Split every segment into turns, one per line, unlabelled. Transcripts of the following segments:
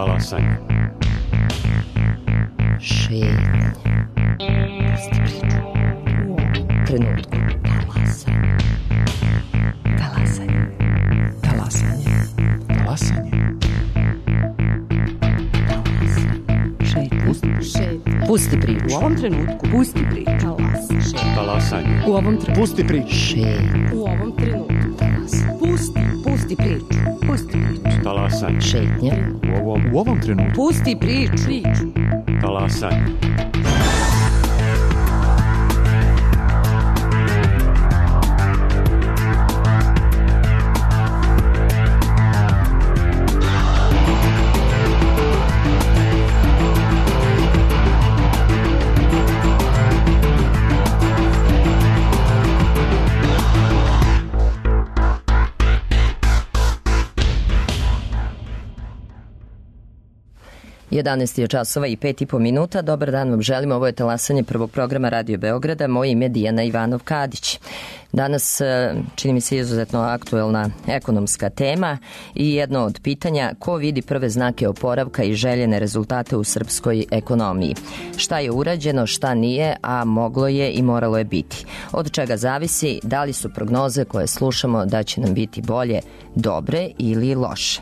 Talasanje.
Šetnje. Pusti priču. U ovom trenutku. Talasanje. Talasanje. Talasanje.
Talasanje.
Pusti priču.
U ovom trenutku. Pusti priču.
Talasanje.
U ovom trenutku.
Pusti priču.
Šetnje.
U ovom trenutku. Pusti priču. Pusti priču.
Talasanje.
Šetnje.
U ovom trenutku.
Pusti priču.
Talasanje.
Jedanaest je časova i 5,5 minuta. Dobar dan vam želim. Ovo je talasanje prvog programa Radio Beograda. Moje ime je Dijana Ivanov-Kadić. Danas čini mi se izuzetno aktuelna ekonomska tema i jedno od pitanja ko vidi prve znake oporavka i željene rezultate u srpskoj ekonomiji. Šta je urađeno, šta nije, a moglo je i moralo je biti. Od čega zavisi da li su prognoze koje slušamo da će nam biti bolje, dobre ili loše.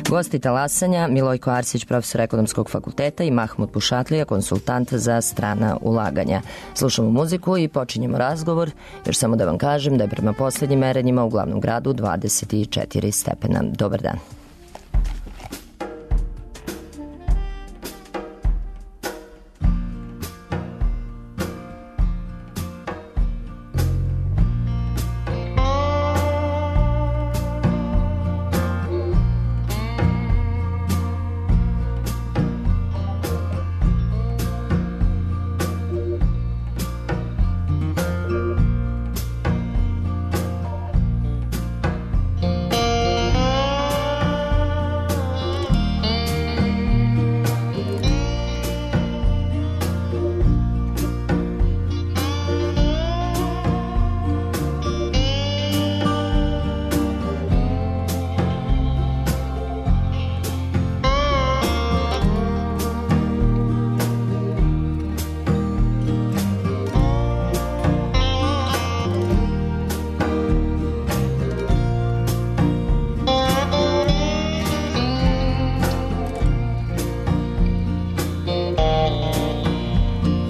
Gosti talasanja Milojko Arsić, profesor ekonomskog fakulteta i Mahmud Bušatlija, konsultant za strana ulaganja. Slušamo muziku i počinjemo razgovor, još samo da vam kažem da je prema posljednjim merenjima u glavnom gradu 24 stepena. Dobar dan.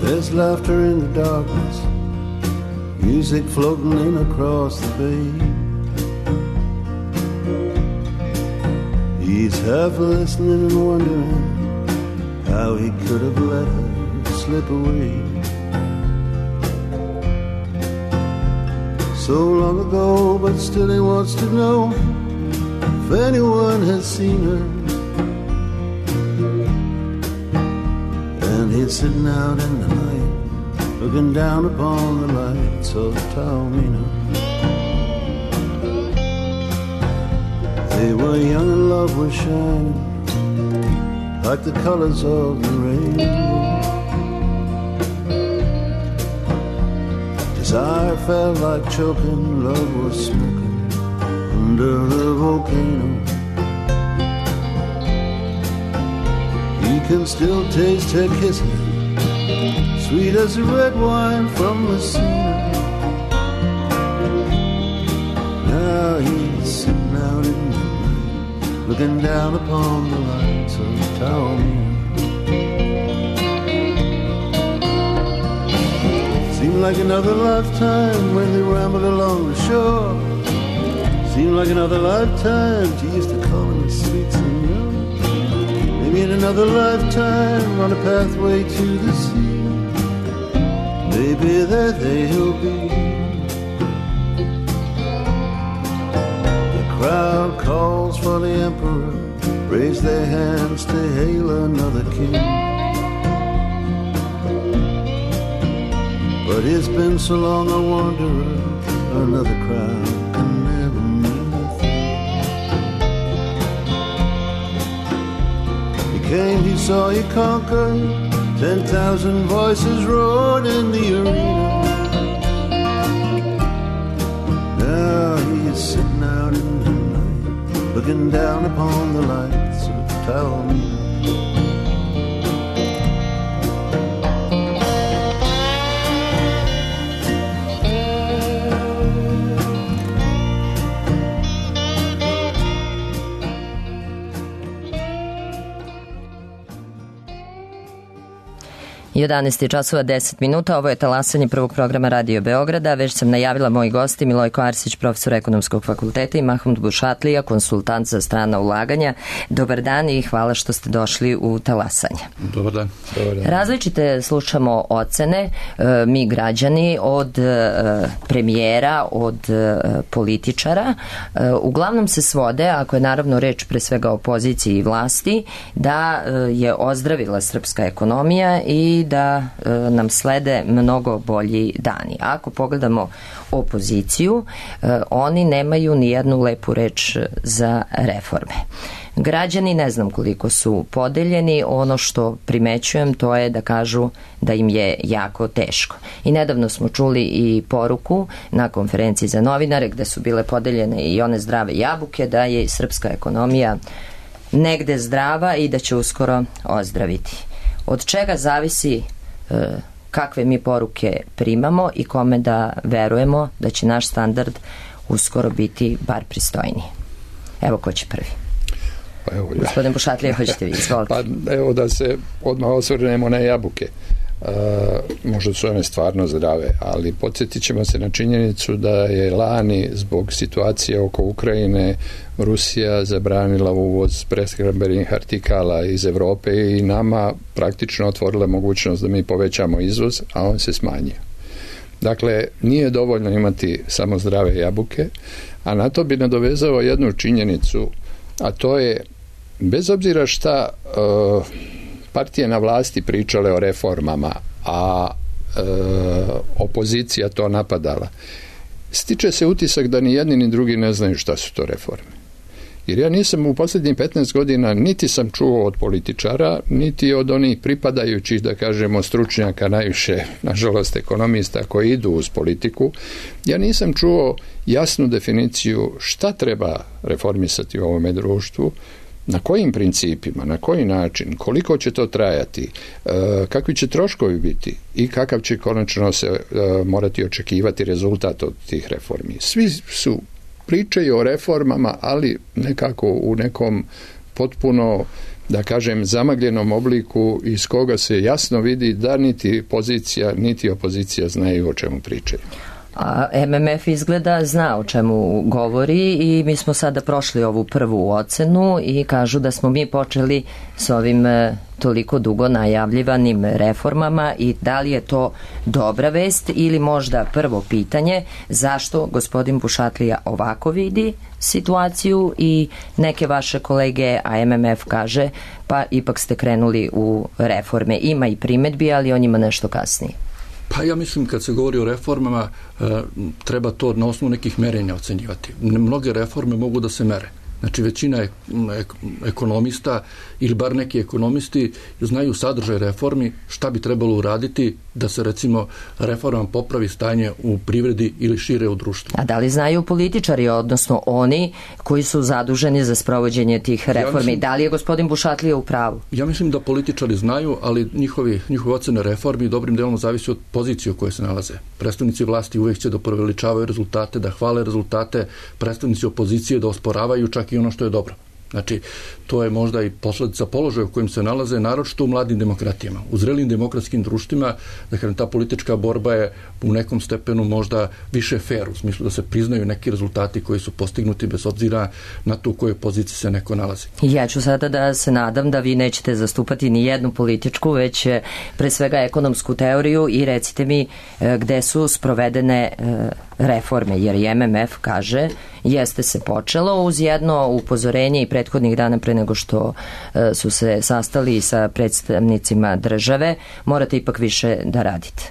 There's laughter in the darkness, music floating in across the bay. He's half listening and wondering how he could have let her slip away. So long ago, but still he wants to know if anyone has seen her. And he's sitting out in the night, looking down upon the lights of Taormina. They were young and love was shining like the colors of the rainbow. Desire felt like choking, love was smoking under the volcano. You can still taste her kisses, sweet as the red wine from Messina. Now he's sitting out in the night, looking down upon the lights of Taormina. Seemed like another lifetime when they rambled along the shore. Seemed like another lifetime she used to call him sweet senor. Maybe in another lifetime on a pathway to the sea. Maybe there they'll be. The crowd calls for the emperor, raise their hands to hail another king. But it's been so long a wanderer, another crowd can never mean a thing. He came, he saw, he conquered, 10,000 voices roared in the arena. Now he's sitting out in the night, looking down upon the lights of Taormina.
Jedanaest je časova 10 minuta, ovo je talasanje prvog programa Radio Beograda. Već sam najavila moji gosti Milojko Arsić, profesor Ekonomskog fakulteta, i Mahmud Bušatlija, konsultant za strana ulaganja. Dobar dan i hvala što ste došli u talasanje.
Dobar dan.
Različite slušamo ocene, mi građani, od premijera, od političara. Uglavnom se svode, ako je naravno reč pre svega o opoziciji i vlasti, da je ozdravila srpska ekonomija i da nam slede mnogo bolji dani. Ako pogledamo opoziciju, oni nemaju ni jednu lepu reč za reforme. Građani ne znam koliko su podeljeni, ono što primećujem to je da kažu da im je jako teško. I nedavno smo čuli i poruku na konferenciji za novinare gde su bile podeljene i one zdrave jabuke da je srpska ekonomija negde zdrava i da će uskoro ozdraviti. Od čega zavisi kakve mi poruke primamo i kome da verujemo da će naš standard uskoro biti bar pristojniji. Evo ko će prvi.
Pa evo,
Gospodin Bušatlija, hoćete vi, izvolite.
Pa evo da se odmah osvrnemo na jabuke. Možda su one stvarno zdrave, ali podsjetit ćemo se na činjenicu da je lani zbog situacije oko Ukrajine Rusija zabranila uvoz prehrambenih artikala iz Evrope i nama praktično otvorila mogućnost da mi povećamo izvoz, a on se smanjio. Dakle, nije dovoljno imati samo zdrave jabuke, a na to bi nadovezao jednu činjenicu, a to je, bez obzira šta partije na vlasti pričale o reformama, a opozicija to napadala, stiče se utisak da ni jedni ni drugi ne znaju šta su to reforme. Jer ja nisam u posljednjih 15 godina niti sam čuo od političara, niti od onih pripadajućih, da kažemo, stručnjaka, najviše, nažalost, ekonomista koji idu uz politiku, ja nisam čuo jasnu definiciju šta treba reformisati u ovome društvu, na kojim principima, na koji način, koliko će to trajati, kakvi će troškovi biti i kakav će konačno se morati očekivati rezultat od tih reformi. Svi su pričaju o reformama, ali nekako u nekom potpuno, da kažem, zamagljenom obliku iz koga se jasno vidi da niti pozicija, niti opozicija znaju o čemu pričaju.
A MMF izgleda zna o čemu govori i mi smo sada prošli ovu prvu ocenu i kažu da smo mi počeli s ovim toliko dugo najavljivanim reformama i da li je to dobra vest ili možda prvo pitanje zašto gospodin Bušatlija ovako vidi situaciju i neke vaše kolege, a MMF kaže pa ipak ste krenuli u reforme. Ima i primedbi, ali o njima nešto kasnije.
Pa ja mislim kad se govori o reformama treba to na osnovu nekih merenja ocenjivati. Mnoge reforme mogu da se mere. Znači većina ekonomista ili bar neki ekonomisti znaju sadržaj reformi, šta bi trebalo uraditi da se recimo reformom popravi stanje u privredi ili šire u društvu.
A da li znaju političari, odnosno oni koji su zaduženi za sprovođenje tih reformi? Da li je gospodin Bušatlija u pravu?
Ja mislim da političari znaju, ali njihove ocene reformi dobrim delom zavisi od pozicije u kojoj se nalaze. Predstavnici vlasti uvijek će da preveličavaju rezultate, da hvale rezultate, predstavnici opozicije da osporavaju čak i ono što je dobro. Znači, to je možda i posledica položaja u kojim se nalaze, naročito u mladim demokratijama. U zrelim demokratskim društvima, dakle, ta politička borba je u nekom stepenu možda više fair, u smislu da se priznaju neki rezultati koji su postignuti bez obzira na to u kojoj poziciji se neko nalazi.
Ja ću sada da se nadam da vi nećete zastupati ni jednu političku, već pre svega ekonomsku teoriju i recite mi gde su sprovedene reforme, jer i MMF kaže jeste se počelo uz jedno upozorenje i prethodnih dana pre nego što su se sastali sa predstavnicima države, morate ipak više da radite.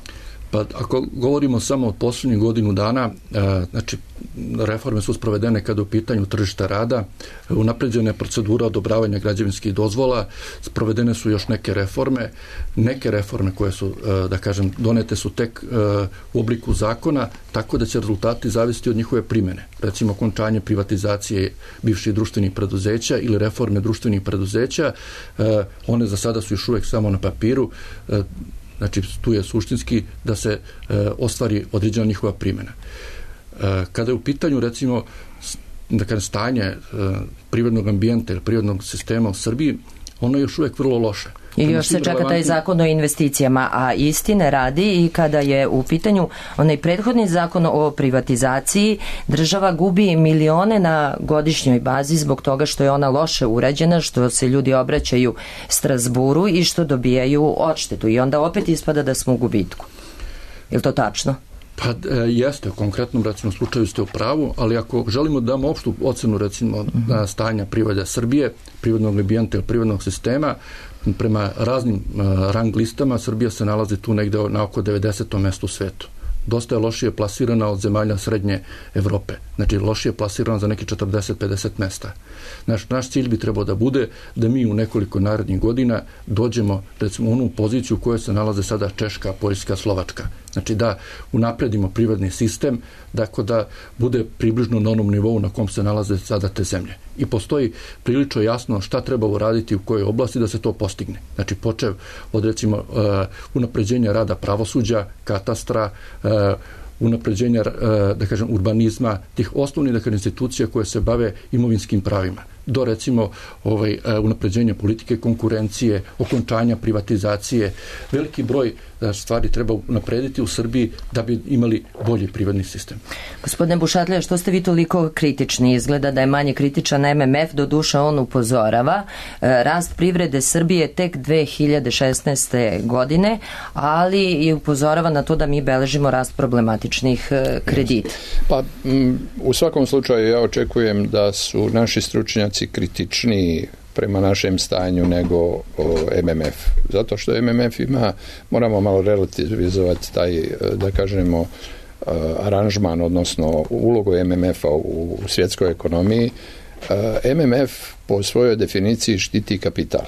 Pa ako govorimo samo od posljednjih godinu dana, znači reforme su sprovedene kada u pitanju tržišta rada, unapređena je procedura odobravanja građevinskih dozvola, sprovedene su još neke reforme koje su, da kažem, donete su tek u obliku zakona, tako da će rezultati zavisiti od njihove primjene. Recimo, okončanje privatizacije bivših društvenih preduzeća ili reforme društvenih preduzeća, one za sada su još uvijek samo na papiru, znači tu je suštinski da se ostvari određena njihova primjena. Kada je u pitanju, recimo, da kažem, stanje privrednog ambijenta ili privrednog sistema u Srbiji, ono je još uvijek vrlo loše.
I još se čeka taj zakon o investicijama, a istine radi i kada je u pitanju onaj prethodni zakon o privatizaciji, država gubi milione na godišnjoj bazi zbog toga što je ona loše urađena, što se ljudi obraćaju Strazburu i što dobijaju odštetu. I onda opet ispada da smo u gubitku. Je li to tačno?
Pa jeste, u konkretnom recimo slučaju ste u pravu, ali ako želimo da damo opštu ocenu recimo stanja privrede Srbije, privrednog ambijenta ili privrednog sistema, prema raznim rang listama Srbija se nalazi tu negde na oko 90. mestu u svetu. Dosta je lošije plasirana od zemalja srednje Evrope. Znači, lošije plasirana za neki 40-50 mesta. Naš cilj bi trebao da bude da mi u nekoliko narednih godina dođemo, recimo, u onu poziciju u kojoj se nalaze sada Češka, Poljska, Slovačka. Znači, da unapredimo privredni sistem, dakle, da bude približno na onom nivou na kom se nalaze sada te zemlje. I postoji prilično jasno šta treba uraditi u kojoj oblasti da se to postigne. Znači, počev od, recimo, unapređenja rada pravosuđa, katastra, unapređenja, da kažem, urbanizma, tih osnovnih, da kažem, institucija koje se bave imovinskim pravima, do, recimo, unapređenja politike konkurencije, okončanja privatizacije. Veliki broj stvari treba unaprediti u Srbiji da bi imali bolji privredni sistem.
Gospodine Bušatlija, što ste vi toliko kritični? Izgleda da je manje kritičan MMF, doduše on upozorava. Rast privrede Srbije tek 2016. godine, ali i upozorava na to da mi beležimo rast problematičnih kredita.
Pa, u svakom slučaju ja očekujem da su naši stručnjaci kritičniji prema našem stanju nego MMF. Zato što MMF ima, moramo malo relativizovati taj, da kažemo, aranžman, odnosno ulogu MMF-a u svjetskoj ekonomiji. MMF po svojoj definiciji štiti kapital.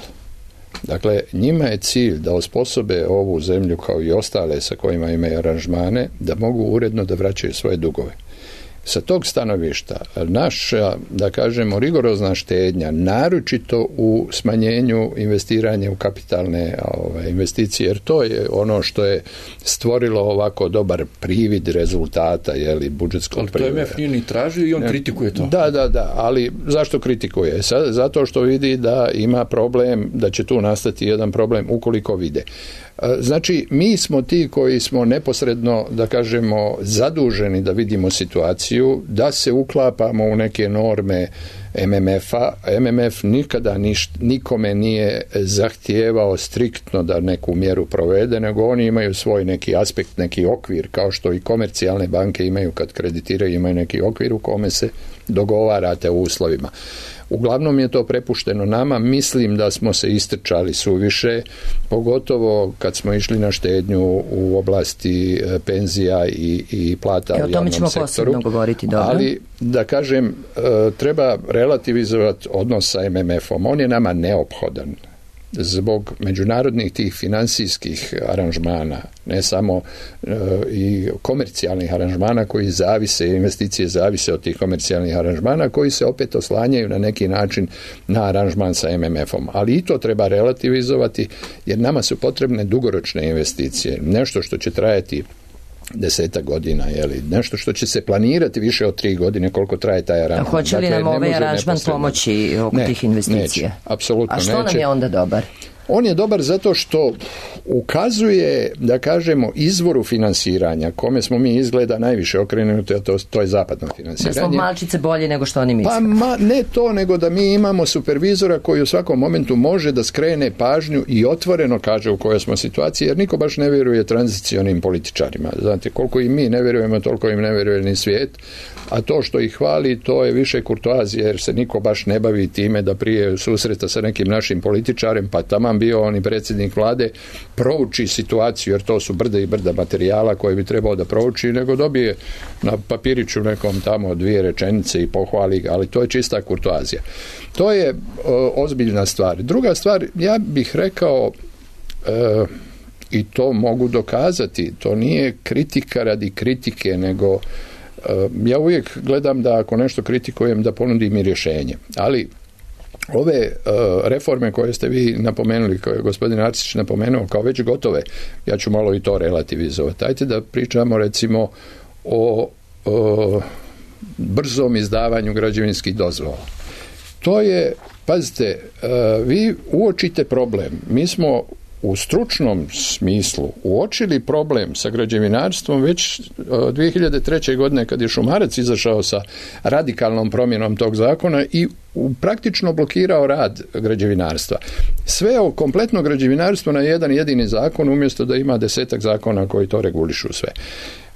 Dakle, njima je cilj da osposobe ovu zemlju kao i ostale sa kojima imaju aranžmane, da mogu uredno da vraćaju svoje dugove. Sa tog stanovišta naša, da kažemo, rigorozna štednja, naročito u smanjenju investiranja u kapitalne investicije, jer to je ono što je stvorilo ovako dobar privid rezultata, budžetskog prihoda.
Ali to MF nije ni tražio i on kritikuje to.
Da, ali zašto kritikuje? Zato što vidi da ima problem, da će tu nastati jedan problem ukoliko vide. Znači, mi smo ti koji smo neposredno, da kažemo, zaduženi da vidimo situaciju, da se uklapamo u neke norme MMF-a. MMF nikada nikome nije zahtijevao striktno da neku mjeru provede, nego oni imaju svoj neki aspekt, neki okvir, kao što i komercijalne banke imaju kad kreditiraju, imaju neki okvir u kome se dogovarate u uslovima. Uglavnom je to prepušteno nama, mislim da smo se istrčali suviše, pogotovo kad smo išli na štednju u oblasti penzija i plata u javnom sektoru.
O tome ćemo posebno govoriti, dobro.
Ali, da kažem, treba relativizovati odnos sa MMF-om. On je nama neophodan zbog međunarodnih tih financijskih aranžmana, ne samo i komercijalnih aranžmana koji zavise, investicije zavise od tih komercijalnih aranžmana koji se opet oslanjaju na neki način na aranžman sa MMF-om. Ali i to treba relativizovati jer nama su potrebne dugoročne investicije, nešto što će trajati 10 godina, nešto što će se planirati više od 3 godine koliko traje taj aranžman.
A hoće li nam ovaj aranžman pomoći oko tih investicija?
Neće, apsolutno neće.
A što nam je onda dobar?
On je dobar zato što ukazuje, da kažemo, izvoru finansiranja, kome smo mi izgleda najviše okrenuti, a to je zapadno finansiranje.
Da smo malčice bolje nego što oni misle.
Pa ne to, nego da mi imamo supervizora koji u svakom momentu može da skrene pažnju i otvoreno kaže u kojoj smo situaciji, jer niko baš ne vjeruje tranzicionim političarima. Znate, koliko i mi ne vjerujemo, toliko im ne vjeruje ni svijet, a to što ih hvali, to je više kurtoazije, jer se niko baš ne bavi time da prije susreta sa nekim našim političarem, pa taman bio on i predsjednik vlade, prouči situaciju, jer to su brda i brda materijala koje bi trebao da prouči, nego dobije na papiriću nekom tamo 2 rečenice i pohvali ga, ali to je čista kurtoazija. To je ozbiljna stvar. Druga stvar, ja bih rekao, i to mogu dokazati, to nije kritika radi kritike, nego ja uvijek gledam da ako nešto kritikujem da ponudim i rješenje. Ali ove reforme koje ste vi napomenuli, koje je gospodin Arsić napomenuo kao već gotove, ja ću malo i to relativizovati. Ajde da pričamo recimo o brzom izdavanju građevinskih dozvola. To je, pazite, vi uočite problem. Mi smo u stručnom smislu uočili problem sa građevinarstvom već 2003. godine kad je Šumarac izašao sa radikalnom promjenom tog zakona i praktično blokirao rad građevinarstva. Sveo kompletno građevinarstvo na jedan jedini zakon umjesto da ima 10-ak zakona koji to regulišu sve.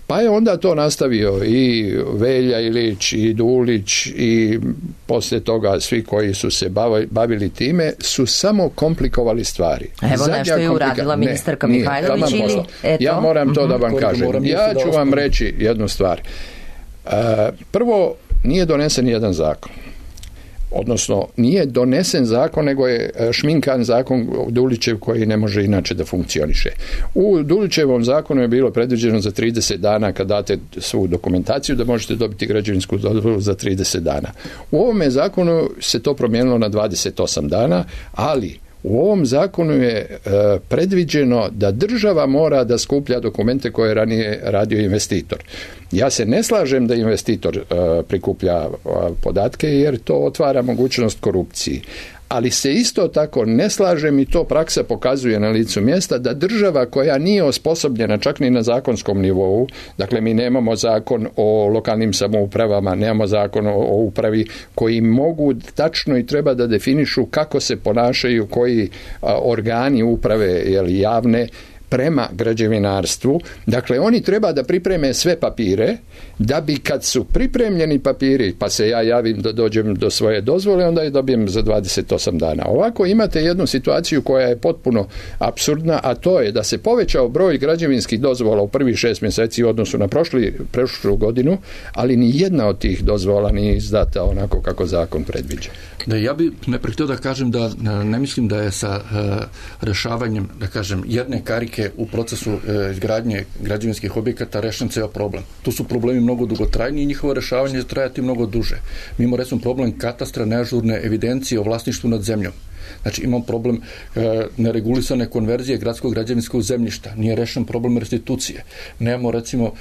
Pa je onda to nastavio i Velja Ilić i Dulić i poslije toga svi koji su se bavili time su samo komplikovali stvari.
Evo nešto je uradila ministarka Mihajlović ili eto.
Ja moram to da vam kažem. Ja ću vam reći jednu stvar. Prvo, nije donesen jedan zakon. Odnosno, nije donesen zakon, nego je šminkan zakon Dulićev koji ne može inače da funkcioniše. U Dulićevom zakonu je bilo predviđeno za 30 dana kad date svu dokumentaciju da možete dobiti građevinsku dozvolu za 30 dana. U ovome zakonu se to promijenilo na 28 dana, ali u ovom zakonu je predviđeno da država mora da skuplja dokumente koje je ranije radio investitor. Ja se ne slažem da investitor prikuplja podatke jer to otvara mogućnost korupciji. Ali se isto tako ne slažem i to praksa pokazuje na licu mjesta da država koja nije osposobljena čak ni na zakonskom nivou, dakle mi nemamo zakon o lokalnim samoupravama, nemamo zakon o upravi koji mogu tačno i treba da definišu kako se ponašaju koji organi uprave javne prema građevinarstvu. Dakle, oni treba da pripreme sve papire, da bi kad su pripremljeni papiri, pa se ja javim da dođem do svoje dozvole, onda je dobijem za 28 dana. Ovako imate jednu situaciju koja je potpuno apsurdna, a to je da se povećao broj građevinskih dozvola u prvih 6 mjeseci u odnosu na prošlu godinu, ali ni jedna od tih dozvola nije izdata onako kako zakon predviđa.
Da, ja bih najprije htio da kažem da ne mislim da je sa rešavanjem, da kažem, jedne karike u procesu izgradnje građevinskih objekata rešen ceo problem. Tu su problemi mnogo dugotrajniji i njihovo rešavanje će trajati mnogo duže. Mi imamo recimo problem katastra neažurne evidencije o vlasništvu nad zemljom. Znači imamo problem neregulisane konverzije gradskog građevinskog zemljišta, nije rešen problem restitucije. Nemamo recimo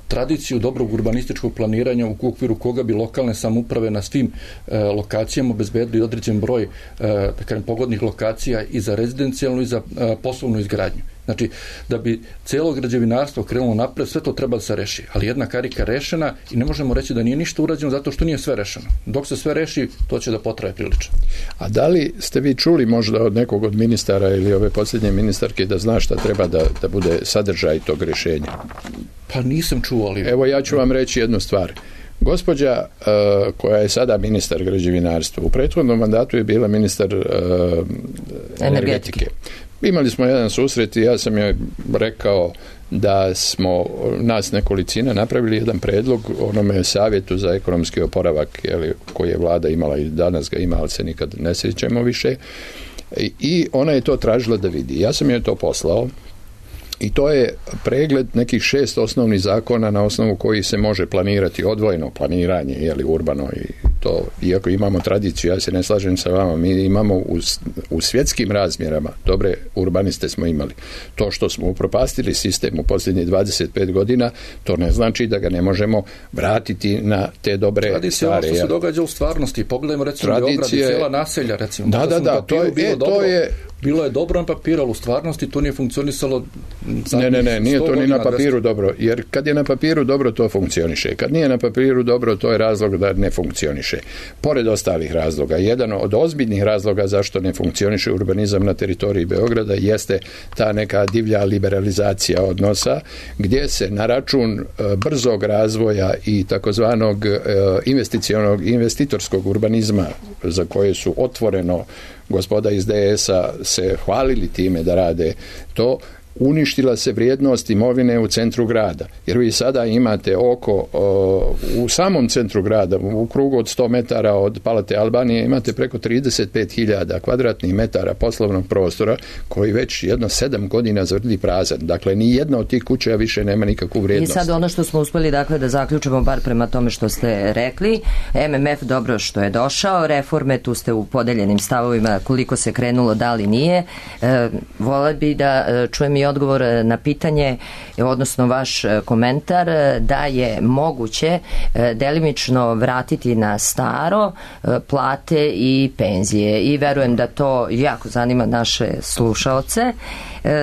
tradiciju dobrog urbanističkog planiranja u okviru koga bi lokalne samouprave na svim lokacijama obezbedili određen broj da kažem, pogodnih lokacija i za rezidencijalnu i za poslovnu izgradnju. Znači, da bi cijelo građevinarstvo krenulo napred, sve to treba da se reši. Ali jedna karika rešena i ne možemo reći da nije ništa urađeno zato što nije sve rešeno. Dok se sve reši, to će da potraje prilično.
A da li ste vi čuli možda od nekog od ministara ili ove posljednje ministarke da zna šta treba da bude sadržaj tog rješenja?
Pa nisam čuo, ali...
Evo ja ću vam reći jednu stvar. Gospođa koja je sada ministar građevinarstva, u prethodnom mandatu je bila ministar energetike. Imali smo jedan susret i ja sam joj rekao da smo nas nekolicina napravili jedan predlog onome savjetu za ekonomski oporavak koji je vlada imala i danas ga ima, ali se nikad ne sjećamo više. I ona je to tražila da vidi. Ja sam joj to poslao. I to je pregled nekih 6 osnovnih zakona na osnovu kojih se može planirati odvojeno planiranje, urbano i to, iako imamo tradiciju, ja se ne slažem sa vama, mi imamo u svjetskim razmjerama, dobre urbaniste smo imali. To što smo upropastili sistem u posljednjih 25 godina, to ne znači da ga ne možemo vratiti na te dobre
tradicija,
stvari.
Tradicija, što se događa u stvarnosti, pogledajmo recimo Beograd i cijela naselja, recimo.
Da,
bilo je dobro na papiru, ali u stvarnosti to nije funkcionisalo.
Ne, nije to ni na papiru dobro, jer kad je na papiru dobro, to funkcioniše. Kad nije na papiru dobro, to je razlog da ne funkcioniše. Pored ostalih razloga, jedan od ozbiljnih razloga zašto ne funkcioniše urbanizam na teritoriji Beograda jeste ta neka divlja liberalizacija odnosa, gdje se na račun brzog razvoja i takozvanog investitorskog urbanizma za koje su otvoreno gospoda iz DS-a se hvalili time da rade to, uništila se vrijednost imovine u centru grada. Jer vi sada imate u samom centru grada, u krugu od 100 metara od Palate Albanije, imate preko 35.000 kvadratnih metara poslovnog prostora koji već 7 godina zvrdi prazan. Dakle, ni jedna od tih kuća više nema nikakvu vrijednost.
I sad ono što smo uspeli da zaključimo, bar prema tome što ste rekli, MMF dobro što je došao, reforme, tu ste u podeljenim stavovima koliko se krenulo, da li nije. Vola bi da čujem i odgovor na pitanje, odnosno vaš komentar da je moguće delimično vratiti na staro plate i penzije. I verujem da to jako zanima naše slušaoce.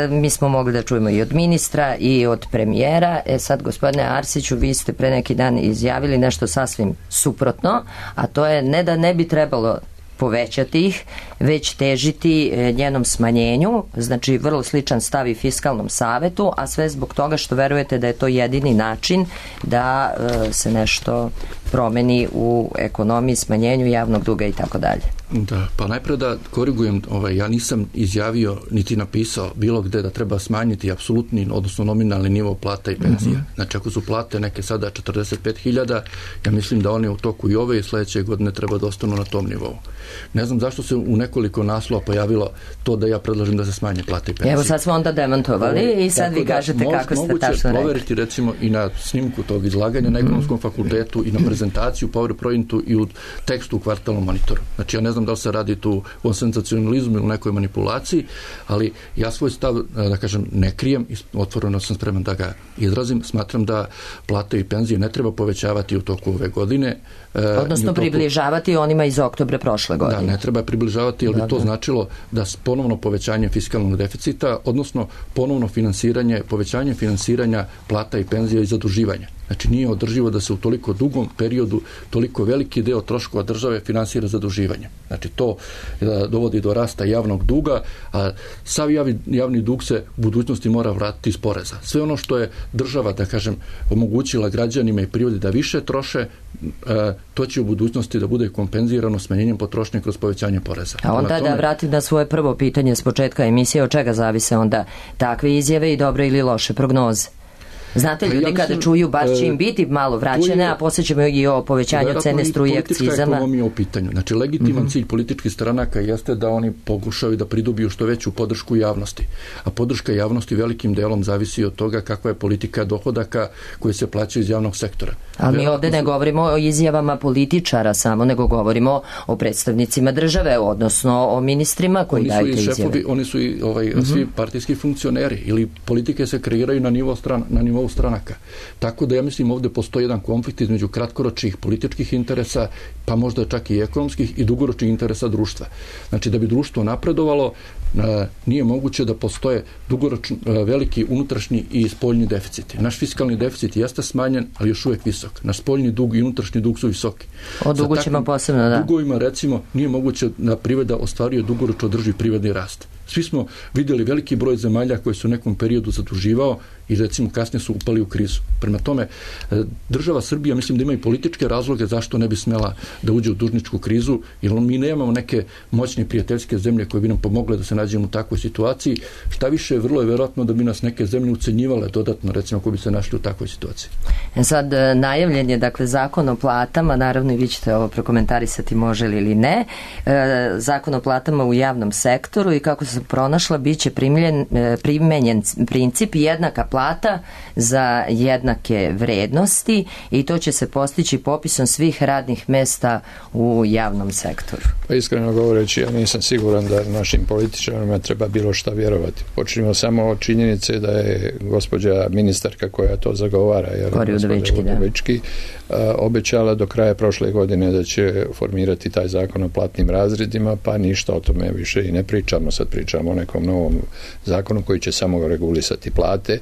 Mi smo mogli da čujemo i od ministra i od premijera. Sad, gospodine Arsiću, vi ste pre neki dan izjavili nešto sasvim suprotno, a to je ne da ne bi trebalo povećati ih, već težiti njenom smanjenju, znači vrlo sličan stav i Fiskalnom savetu, a sve zbog toga što verujete da je to jedini način da se nešto promeni u ekonomiji, smanjenju javnog duga i tako dalje.
Da, pa najprije da korigujem, ja nisam izjavio niti napisao bilo gde da treba smanjiti apsolutni, odnosno nominalni nivo plata i penzija. Znači, ako su plate neke sada 45.000, ja mislim da one u toku i ove i sledeće godine treba da ostanu na tom nivou. Ne znam zašto se u nekoliko naslova pojavilo to da ja predlažem da se smanje plate i penzije.
Evo sad smo onda demantovali i sad vi kažete kako ste tačno rekli.
Moguće proveriti recimo i na snimku tog izlaganja na Ekonomskom fakultetu i na prezentaciju PowerPointu i u tekstu u Kvartalnom monitoru. Znači, ja ne znam da li se radi tu o senzacionalizmu ili nekoj manipulaciji, ali ja svoj stav, da kažem, ne krijem i otvoreno sam spreman da ga izrazim. Smatram da plate i penzije ne treba povećavati u toku ove godine.
Odnosno približavati onima iz oktobra prošle godine.
Da, ne treba približavati, jer bi to značilo da ponovno povećanje fiskalnog deficita, odnosno ponovno povećanje finansiranja plata i penzija i zaduživanja. Znači, nije održivo da se u toliko dugom periodu toliko veliki deo troškova države finansira zaduživanje. Znači, to dovodi do rasta javnog duga, a sav javni dug se u budućnosti mora vratiti iz poreza. Sve ono što je država, da kažem, omogućila građanima i privodi da više troše, to će u budućnosti da bude kompenzirano smanjenjem potrošnje kroz povećanje poreza.
A onda da vratim na svoje prvo pitanje s početka emisije, od čega zavise onda takve izjave i dobre ili loše prognoze? Znate, ljudi kada čuju baš će im biti malo vraćene, a poslije ćemo i o povećanju cene struje, akcizama.
Politička ekonomija u pitanju. Znači, legitiman cilj političkih stranaka jeste da oni pokušaju da pridobiju što veću podršku javnosti. A podrška javnosti velikim delom zavisi od toga kakva je politika dohodaka koje se plaćaju iz javnog sektora.
Ali mi ovde ne govorimo o izjavama političara samo, nego govorimo o predstavnicima države, odnosno o ministrima koji daju te izjave.
Oni su i svi partijski funkcioneri ili politike se kreiraju na nivou stranaka. Tako da ja mislim ovde postoji jedan konflikt između kratkoročnih političkih interesa, pa možda čak i ekonomskih i dugoročnih interesa društva. Znači, da bi društvo napredovalo, nije moguće da postoje dugoročni veliki unutrašnji i spoljni deficiti. Naš fiskalni deficit jeste smanjen, ali još uvijek visok. Naš spoljni dug i unutrašnji dug su visoki.
O dugu ćemo posebno, da.
Dugovima, recimo, nije moguće da privreda ostvaruje dugoročno održiv privredni rast. Svi smo vidjeli veliki broj zemalja koje su u nekom periodu zaduživao i recimo kasnije su upali u krizu. Prema tome, država Srbija mislim da ima i političke razloge zašto ne bi smela da uđe u dužničku krizu, jer mi nemamo neke moćne prijateljske zemlje koje bi nam pomogle da se nađemo u takvoj situaciji. Šta više, vrlo je verovatno da bi nas neke zemlje ucenjivale dodatno, recimo ako bi se našli u takvoj situaciji.
Sad, najavljen je, dakle, zakon o platama, naravno i vi ćete ovo prokomentarisati može li ili ne, zakon o platama u javnom sektoru i kako se pronašla, bit će primenjen princip jednaka plata za jednake vrednosti i to će se postići popisom svih radnih mesta u javnom sektoru.
Pa iskreno govoreći, ja nisam siguran da našim političarima treba bilo šta vjerovati. Počnimo samo od činjenice da je gospođa ministarka koja to zagovara, Udovički, obećala do kraja prošle godine da će formirati taj zakon o platnim razredima, pa ništa o tome više i ne pričamo. Sad pričamo o nekom novom zakonu koji će samo regulisati plate.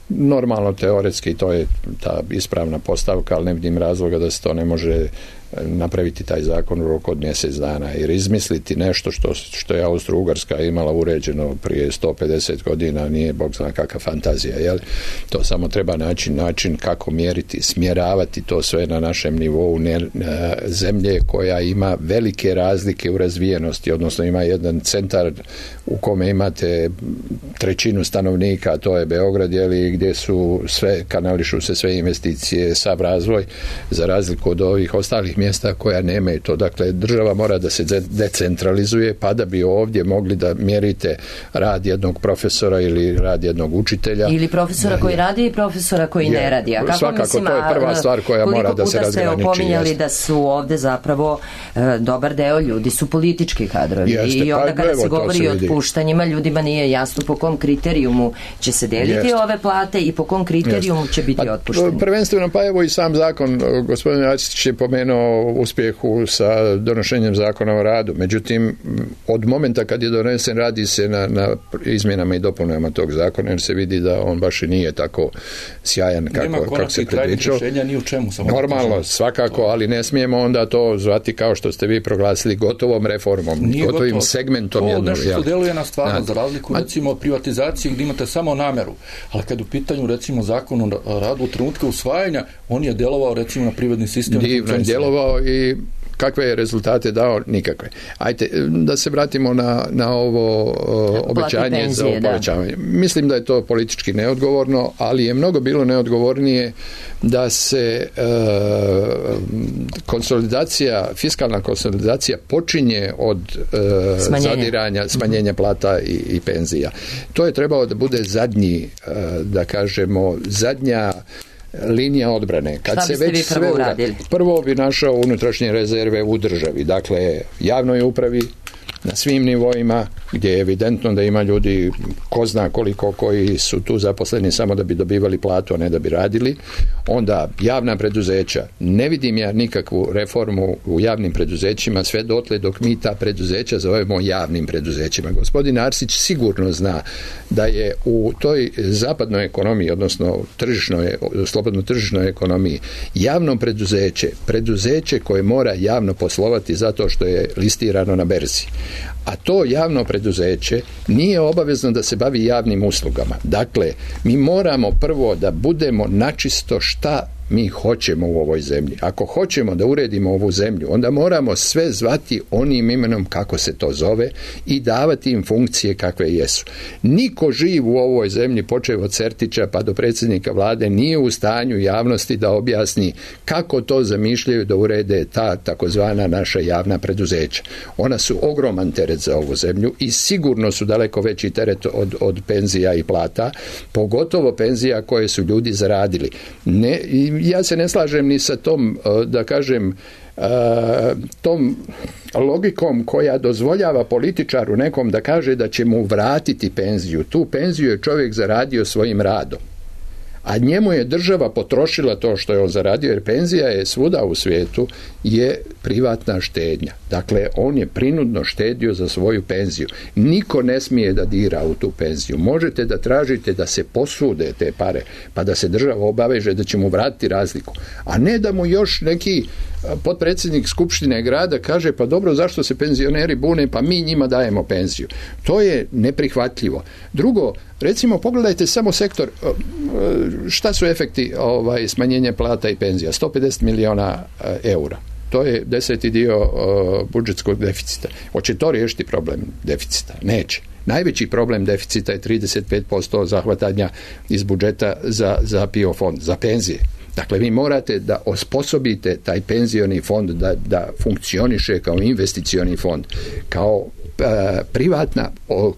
Normalno, teoretski, to je ta ispravna postavka, ali ne vidim razloga da se to ne može napraviti taj zakon u roku od mjesec dana, jer izmisliti nešto što je Austro-Ugarska imala uređeno prije 150 godina nije bog zna kakva fantazija, jel? To samo treba način kako mjeriti, smjeravati to sve na našem nivou zemlje koja ima velike razlike u razvijenosti, odnosno ima jedan centar u kome imate trećinu stanovnika, to je Beograd, jeli, gdje su kanališu se sve investicije, sav razvoj, za razliku od ovih ostalih mjesta koja nemaju to. Dakle, država mora da se decentralizuje, pa da bi ovdje mogli da mjerite rad jednog profesora ili rad jednog učitelja. Ili
profesora koji radi i profesora koji ne radi. A kako
svakako,
mislim,
to je prva stvar koja mora da se razgraniči.
Koliko puta ste opominjali da su ovdje zapravo dobar deo ljudi su politički kadrovi. I onda kada se govori o otpuštanjima, ljudima nije jasno po kom kriterijumu će se deliti ove plate i po kom kriterijumu će biti otpušteni.
Prvenstveno, pa evo i sam zakon, gospodin Arsić je pomenuo uspjehu sa donošenjem zakona o radu. Međutim, od momenta kad je donesen, radi se na izmjenama i dopunama tog zakona, jer se vidi da on baš i nije tako sjajan kako se predviđao.
Ni u čemu, samo
normalno, svakako, ali ne smijemo onda to zvati kao što ste vi proglasili gotovom reformom, gotovim segmentom jednog.
To nešto deluje na stvarno, za razliku recimo od privatizacije gdje imate samo nameru, ali kad u pitanju recimo zakon o radu u trenutku usvajanja, on je delovao recimo na privredni sistem.
Divno je delovao i kakve je rezultate dao? Nikakve. Ajde, da se vratimo na ovo obećanje za povećavanje. Mislim da je to politički neodgovorno, ali je mnogo bilo neodgovornije da se fiskalna konsolidacija počinje od smanjenja plata i penzija. To je trebalo da bude zadnja linija odbrane.
Šta biste vi prvo uradili?
Prvo bi našao unutrašnje rezerve u državi, dakle javnoj upravi na svim nivoima, gdje je evidentno da ima ljudi ko zna koliko koji su tu zaposleni samo da bi dobivali platu, a ne da bi radili. Onda javna preduzeća. Ne vidim ja nikakvu reformu u javnim preduzećima sve dotle dok mi ta preduzeća zovemo javnim preduzećima. Gospodin Arsić sigurno zna da je u toj zapadnoj ekonomiji, odnosno slobodno tržišnoj ekonomiji, javno preduzeće koje mora javno poslovati zato što je listirano na berzi. A to javno preduzeće nije obavezno da se bavi javnim uslugama. Dakle, mi moramo prvo da budemo načisto šta mi hoćemo u ovoj zemlji. Ako hoćemo da uredimo ovu zemlju, onda moramo sve zvati onim imenom kako se to zove i davati im funkcije kakve jesu. Niko živ u ovoj zemlji, počev od Sertića pa do predsjednika vlade, nije u stanju javnosti da objasni kako to zamišljaju da urede ta takozvana naša javna preduzeća. Ona su ogroman teret za ovu zemlju i sigurno su daleko veći teret od penzija i plata, pogotovo penzija koje su ljudi zaradili. Ja se ne slažem ni sa tom, da kažem, tom logikom koja dozvoljava političaru nekom da kaže da će mu vratiti penziju. Tu penziju je čovjek zaradio svojim radom, a njemu je država potrošila to što je on zaradio, jer penzija je svuda u svijetu je privatna štednja. Dakle, on je prinudno štedio za svoju penziju. Niko ne smije da dira u tu penziju. Možete da tražite da se posude te pare, pa da se država obaveže da će mu vratiti razliku. A ne da mu još neki potpredsjednik Skupštine grada kaže, pa dobro, zašto se penzioneri bune, pa mi njima dajemo penziju. To je neprihvatljivo. Drugo, recimo, pogledajte samo sektor, šta su efekti smanjenja plata i penzija? 150 miliona eura. To je 10. dio budžetskog deficita. Hoće to riješiti problem deficita? Neće. Najveći problem deficita je 35% zahvatanja iz budžeta za PIO fond, za penzije. Dakle, vi morate da osposobite taj penzioni fond da funkcioniše kao investicioni fond, kao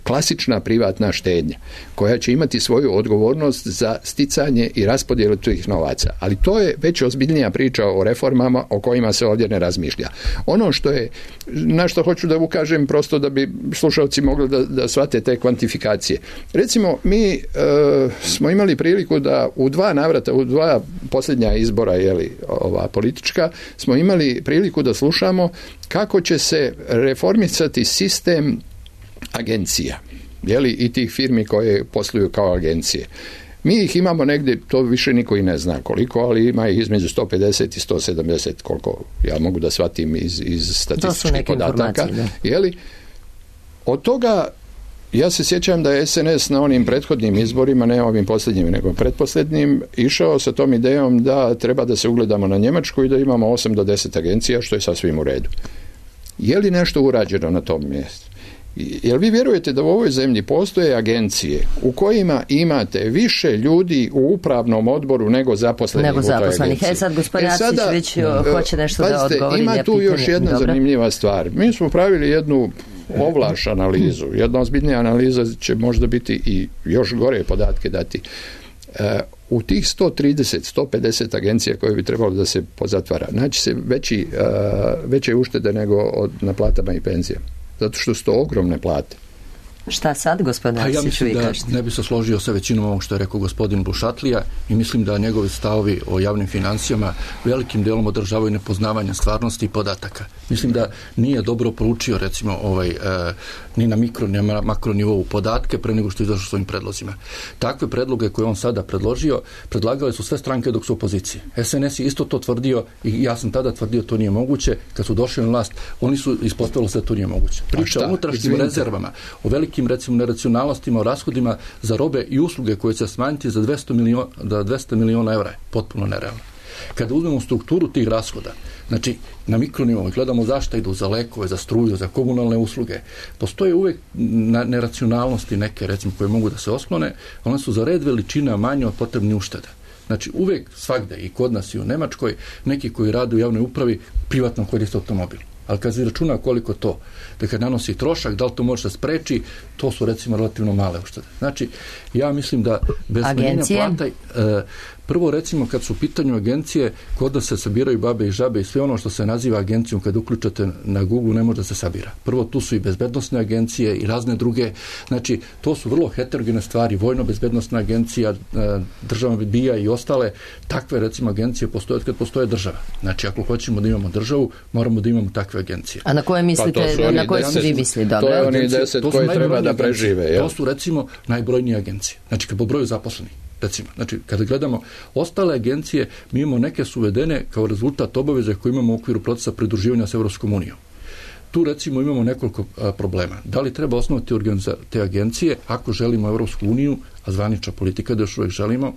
klasična privatna štednja koja će imati svoju odgovornost za sticanje i raspodjelu tih novaca. Ali to je već ozbiljnija priča o reformama o kojima se ovdje ne razmišlja. Ono na što hoću da ukažem, prosto da bi slušalci mogli da shvate te kvantifikacije. Recimo, mi smo imali priliku da u 2 navrata, u 2 posljednja izbora, ova politička, smo imali priliku da slušamo kako će se reformisati sistem agencija, i tih firmi koje posluju kao agencije. Mi ih imamo negdje, to više niko i ne zna koliko, ali ima ih između 150 i 170, koliko ja mogu da shvatim iz statističkih podataka. Jeli? Od toga, ja se sjećam da je SNS na onim prethodnim izborima, ne ovim posljednjim, nego pretposljednjim, išao sa tom idejom da treba da se ugledamo na Njemačku i da imamo 8 do 10 agencija, što je sasvim u redu. Je li nešto urađeno na tom mjestu? Jel vi vjerujete da u ovoj zemlji postoje agencije u kojima imate više ljudi u upravnom odboru nego zaposlenih u toj agenciji?
Sad gospodin Arsić već hoće nešto da odgovori.
Ima tu još jedna zanimljiva stvar. Mi smo pravili jednu ovlaš analizu. Jedna ozbiljnija analiza će možda biti i još gore podatke dati. U tih 130-150 agencija koje bi trebalo da se pozatvara, naći se veće uštede nego na platama i penzijama. Zato što su to ogromne plate.
Šta sad, gospodin Arsić?
Ja mislim da ne bi se složio sa većinom ovog što je rekao gospodin Bušatlija i mislim da njegovi stavovi o javnim financijama velikim delom održavaju nepoznavanje stvarnosti i podataka. Mislim da nije dobro proučio recimo ni na mikro ni na makro nivou podatke pre nego što izašao svojim predlozima. Takve predloge koje on sada predložio, predlagale su sve stranke dok su u opoziciji. SNS je isto to tvrdio i ja sam tada tvrdio to nije moguće. Kad su došli na vlast, oni su ispostavili se da to nije moguće. Priča o unutrašnjim rezervama, o velikim recimo neracionalnostima, o rashodima za robe i usluge koje će smanjiti za 200 miliona evra je potpuno nerealno. Kada uzmemo strukturu tih rashoda, znači na mikronivou gledamo zašto idu za lekove, za struju, za komunalne usluge, postoje uvek neracionalnosti neke recimo koje mogu da se osklone, one su za red veličina manje od potrebnih ušteda. Znači uvek svagde i kod nas i u Nemačkoj neki koji rade u javnoj upravi privatno koriste automobil. Ali kad se računa koliko to, da kad nanosi trošak, da li to može da spreči, to su recimo relativno male uštede. Znači, ja mislim da bez smanjenja plata, prvo recimo kad su u pitanju agencije, kod da se sabiraju babe i žabe i sve ono što se naziva agencijom, kad uključate na Google ne može da se sabira. Prvo tu su i bezbednosne agencije i razne druge, znači to su vrlo heterogene stvari, vojno-bezbednosna agencija, država BIA i ostale, takve recimo agencije postoje od kad postoje država. Znači ako hoćemo da imamo državu, moramo da imamo takve agencije.
A na koje mislite, na koje su vi misli?
To je oni 10 koji treba da prežive.
To su recimo najbrojnije agencije. Znači kad po broju zaposlenih. Recimo, znači, kada gledamo ostale agencije, mi imamo neke su uvedene kao rezultat obaveze koje imamo u okviru procesa pridruživanja s Evropskom unijom. Tu recimo imamo nekoliko problema. Da li treba osnovati te agencije ako želimo Evropsku uniju, a zvanična politika da još uvijek želimo,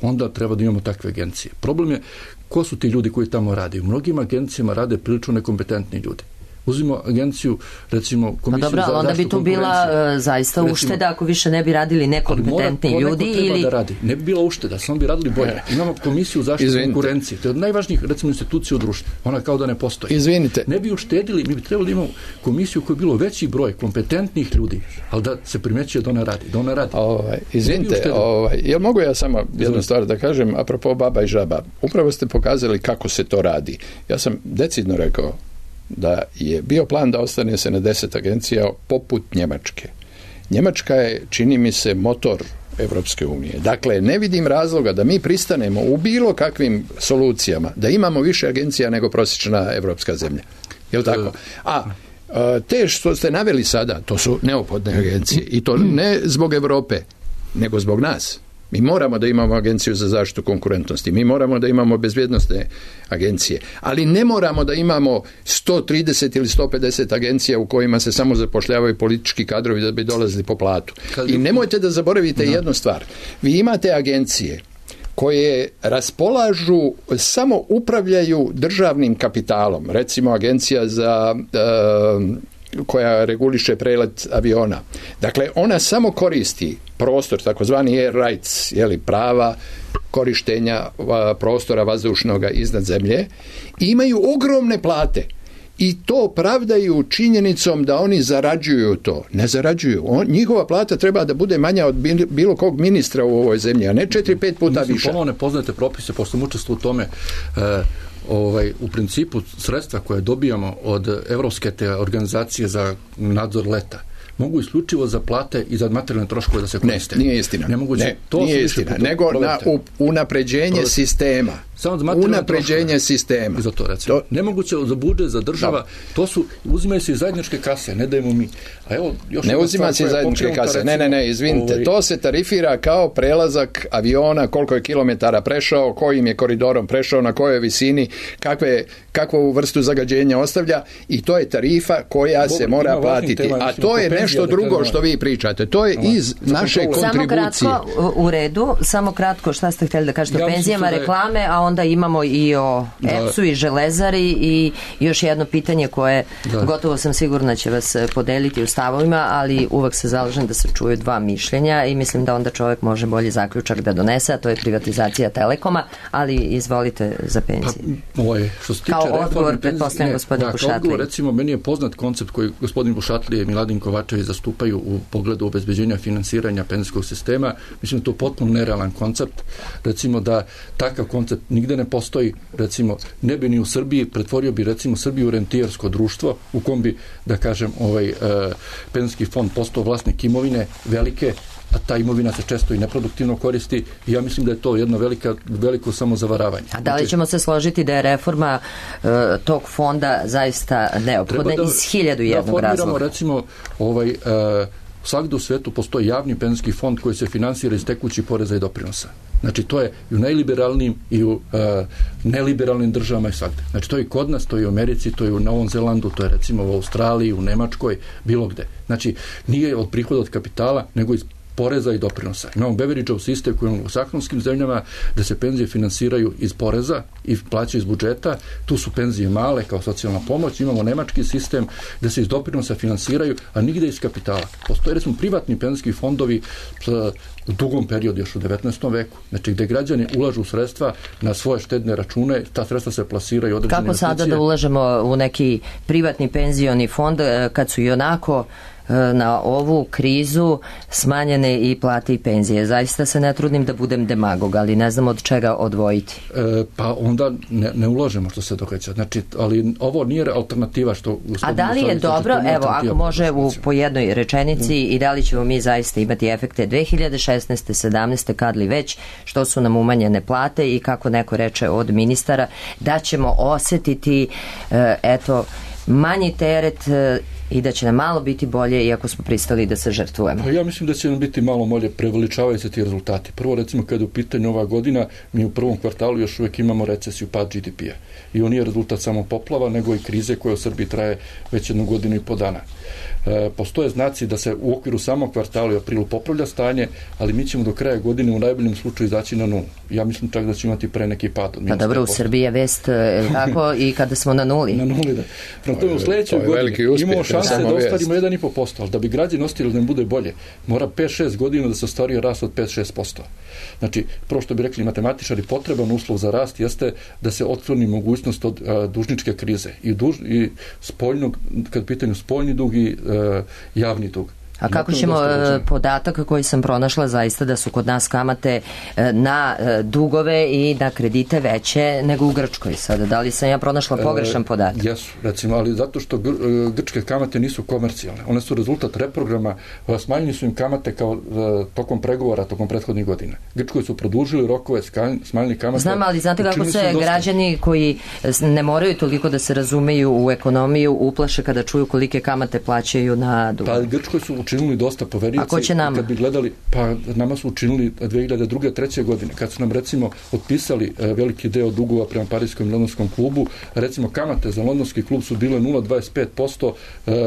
onda treba da imamo takve agencije. Problem je ko su ti ljudi koji tamo rade. U mnogim agencijama rade prilično nekompetentni ljudi. Uzmimo agenciju, recimo komisiju za zaštitu konkurencije. Onda
bi tu bila zaista ušteda ako više ne bi radili nekompetentni ljudi ili...
Da radi. Ne bi bila ušteda, samo bi radili bolje. Imamo komisiju za zaštitu konkurencije. To je od najvažnijih recimo institucija u društvu. Ona kao da ne postoji.
Izvinite.
Ne bi uštedili, mi bi trebali da imamo komisiju koja je bilo veći broj kompetentnih ljudi, ali da se primećuje da ona radi. Da ona radi.
Izvinite, jel mogu ja samo jednu stvar da kažem apropo baba i žaba? Upravo ste pokazali kako se to radi. Ja sam decidno rekao da je bio plan da ostane se na 10 agencija poput Njemačke. Njemačka je, čini mi se, motor Evropske unije. Dakle, ne vidim razloga da mi pristanemo u bilo kakvim solucijama, da imamo više agencija nego prosječna evropska zemlja. Je li tako? Te što ste naveli sada, to su neophodne agencije i to ne zbog Evrope, nego zbog nas. Mi moramo da imamo agenciju za zaštitu konkurentnosti, mi moramo da imamo bezbjednosne agencije, ali ne moramo da imamo 130 ili 150 agencija u kojima se samo zapošljavaju politički kadrovi da bi dolazili po platu. I nemojte da zaboravite jednu stvar. Vi imate agencije koje raspolažu, samo upravljaju državnim kapitalom. Recimo agencija za koja reguliše prelet aviona. Dakle, ona samo koristi prostor, takozvani air rights, prava korištenja prostora vazdušnoga iznad zemlje i imaju ogromne plate. I to pravdaju činjenicom da oni zarađuju to. Ne zarađuju. Njihova plata treba da bude manja od bilo kog ministra u ovoj zemlji, a ne 4-5 puta više.
Ponovno ne poznate propise, pošto sam učestvovao u tome. U principu sredstva koje dobijamo od Evropske organizacije za nadzor leta mogu isključivo za plate i za materijalne troškove da se koriste.
Ne, nije istina.
Nemoguće.
Nije istina. Nego na unapređenje sistema.
Samo za materijalne
unapređenje sistema.
Za to recimo. Nemoguće za budžet, za država, to su, uzimaju se iz zajedničke kase, ne dajemo mi. A evo, još
ne uzima se iz zajedničke kase, recimo, ne, izvinite, to se tarifira kao prelazak aviona, koliko je kilometara prešao, kojim je koridorom prešao, na kojoj visini, kakvu vrstu zagađenja ostavlja i to je tarifa koja se mora platiti. A to je nešto drugo što vi pričate. To je iz naše kontribucije.
Samo kratko, u redu, samo kratko, šta ste htjeli da kažete o penzijama, reklame, a onda imamo i o EPS-u i Železari i još jedno pitanje koje gotovo sam sigurna će vas podeliti u stavovima, ali uvek se zalažem da se čuju dva mišljenja i mislim da onda čovjek može bolji zaključak da donese, a to je privatizacija Telekoma, ali izvolite za penzije.
Što se tiče
kao odgovor, pretpostavljam gospodin Bušatlije.
Kao odgovor, recimo, meni je poznat koncept koji gospodin Bušatlije i Miladin Kovačević zastupaju u pogledu obezbeđenja finansiranja penzijskog sistema. Mislim da to je potpuno nerealan koncept. Recimo da takav koncept nigde ne postoji, recimo, ne bi ni u Srbiji, pretvorio bi recimo Srbiju u rentijersko društvo u kom bi, da kažem, penzijski fond postao vlasnik imovine velike, a ta imovina se često i neproduktivno koristi i ja mislim da je to jedno veliko samozavaravanje.
A da li ćemo se složiti da je reforma tog fonda zaista neophodna iz 1001 razloga?
Da formiramo, recimo, svakde u svetu postoji javni penzijski fond koji se finansira iz tekućih poreza i doprinosa. Znači, to je i u najliberalnijim i u neliberalnim državama i svakde. Znači, to je i kod nas, to je i u Americi, to je u Novom Zelandu, to je recimo u Australiji, u Nemačkoj, bilo gde. Znači, nije od prihoda od kapitala, nego iz poreza i doprinosa. Imamo Beveridgeov sistem koji imamo u saksonskim zemljama da se penzije finansiraju iz poreza i plaćaju iz budžeta. Tu su penzije male kao socijalna pomoć. Imamo nemački sistem da se iz doprinosa finansiraju, a nigde iz kapitala. Postoje recimo privatni penzijski fondovi u dugom periodu, još u 19. veku. Znači gde građani ulažu sredstva na svoje štedne račune, ta sredstva se plasiraju određene investicije.
Kako sada da ulažemo u neki privatni penzioni fond kad su i onako na ovu krizu smanjene i plate i penzije? Zaista se ne trudim da budem demagog, ali ne znam od čega odvojiti.
Pa onda ne ulažemo što se događa. Znači, ali ovo nije alternativa što...
A da li je dobro, evo, ako može po jednoj rečenici i da li ćemo mi zaista imati efekte 2016. 17. kad li već, što su nam umanjene plate i kako neko reče od ministara, da ćemo osetiti manji teret i da će nam malo biti bolje iako smo pristali da se žrtvujemo.
Pa ja mislim da će nam biti malo bolje, preveličavaju se ti rezultati. Prvo, recimo, kada je u pitanju ova godina, mi u prvom kvartalu još uvijek imamo recesiju, pad GDP-a. I on nije rezultat samo poplava, nego i krize koja u Srbiji traje već 1 godinu i po dana. Postoje znaci da se u okviru samog kvartala i aprilu popravlja stanje, ali mi ćemo do kraja godine u najboljem slučaju izaći na nulu. Ja mislim čak da će imati pre neki pad.
Pa dobro, u Srbiji je vest tako i kada smo na nuli.
Na nuli, da. Prema tome, u sledećoj godini imamo šanse da ostvarimo 1,5%, ali da bi građani ostali da ne bude bolje, mora 5-6 godina da se ostvario rast od 5-6%. Znači, prvo što bi rekli matematičari, potreban uslov za rast jeste da se otkloni mogućnost od dužničke krize i spoljnog, kad pitanju spoljni dug i javni dug.
A kako ćemo podatak koji sam pronašla zaista da su kod nas kamate na dugove i na kredite veće nego u Grčkoj sada? Da li sam ja pronašla pogrešan podatak?
Jesu, recimo, ali zato što grčke kamate nisu komercijalne. One su rezultat reprograma, smanjili su im kamate kao tokom pregovora, tokom prethodnih godina. Grčkoj su produžili rokove, smanjili kamate.
Znam, ali znate kako se građani koji ne moraju toliko da se razumeju u ekonomiju uplaše kada čuju kolike kamate plaćaju na dug?
Pa Grčkoj su učinili dosta poverioci.
A ko će nama?
Kad bi gledali, pa nama su učinili 2002. 2003. godine, kad su nam recimo otpisali veliki deo dugova prema Parijskom i Londonskom klubu, recimo kamate za Londonski klub su bile 0,25%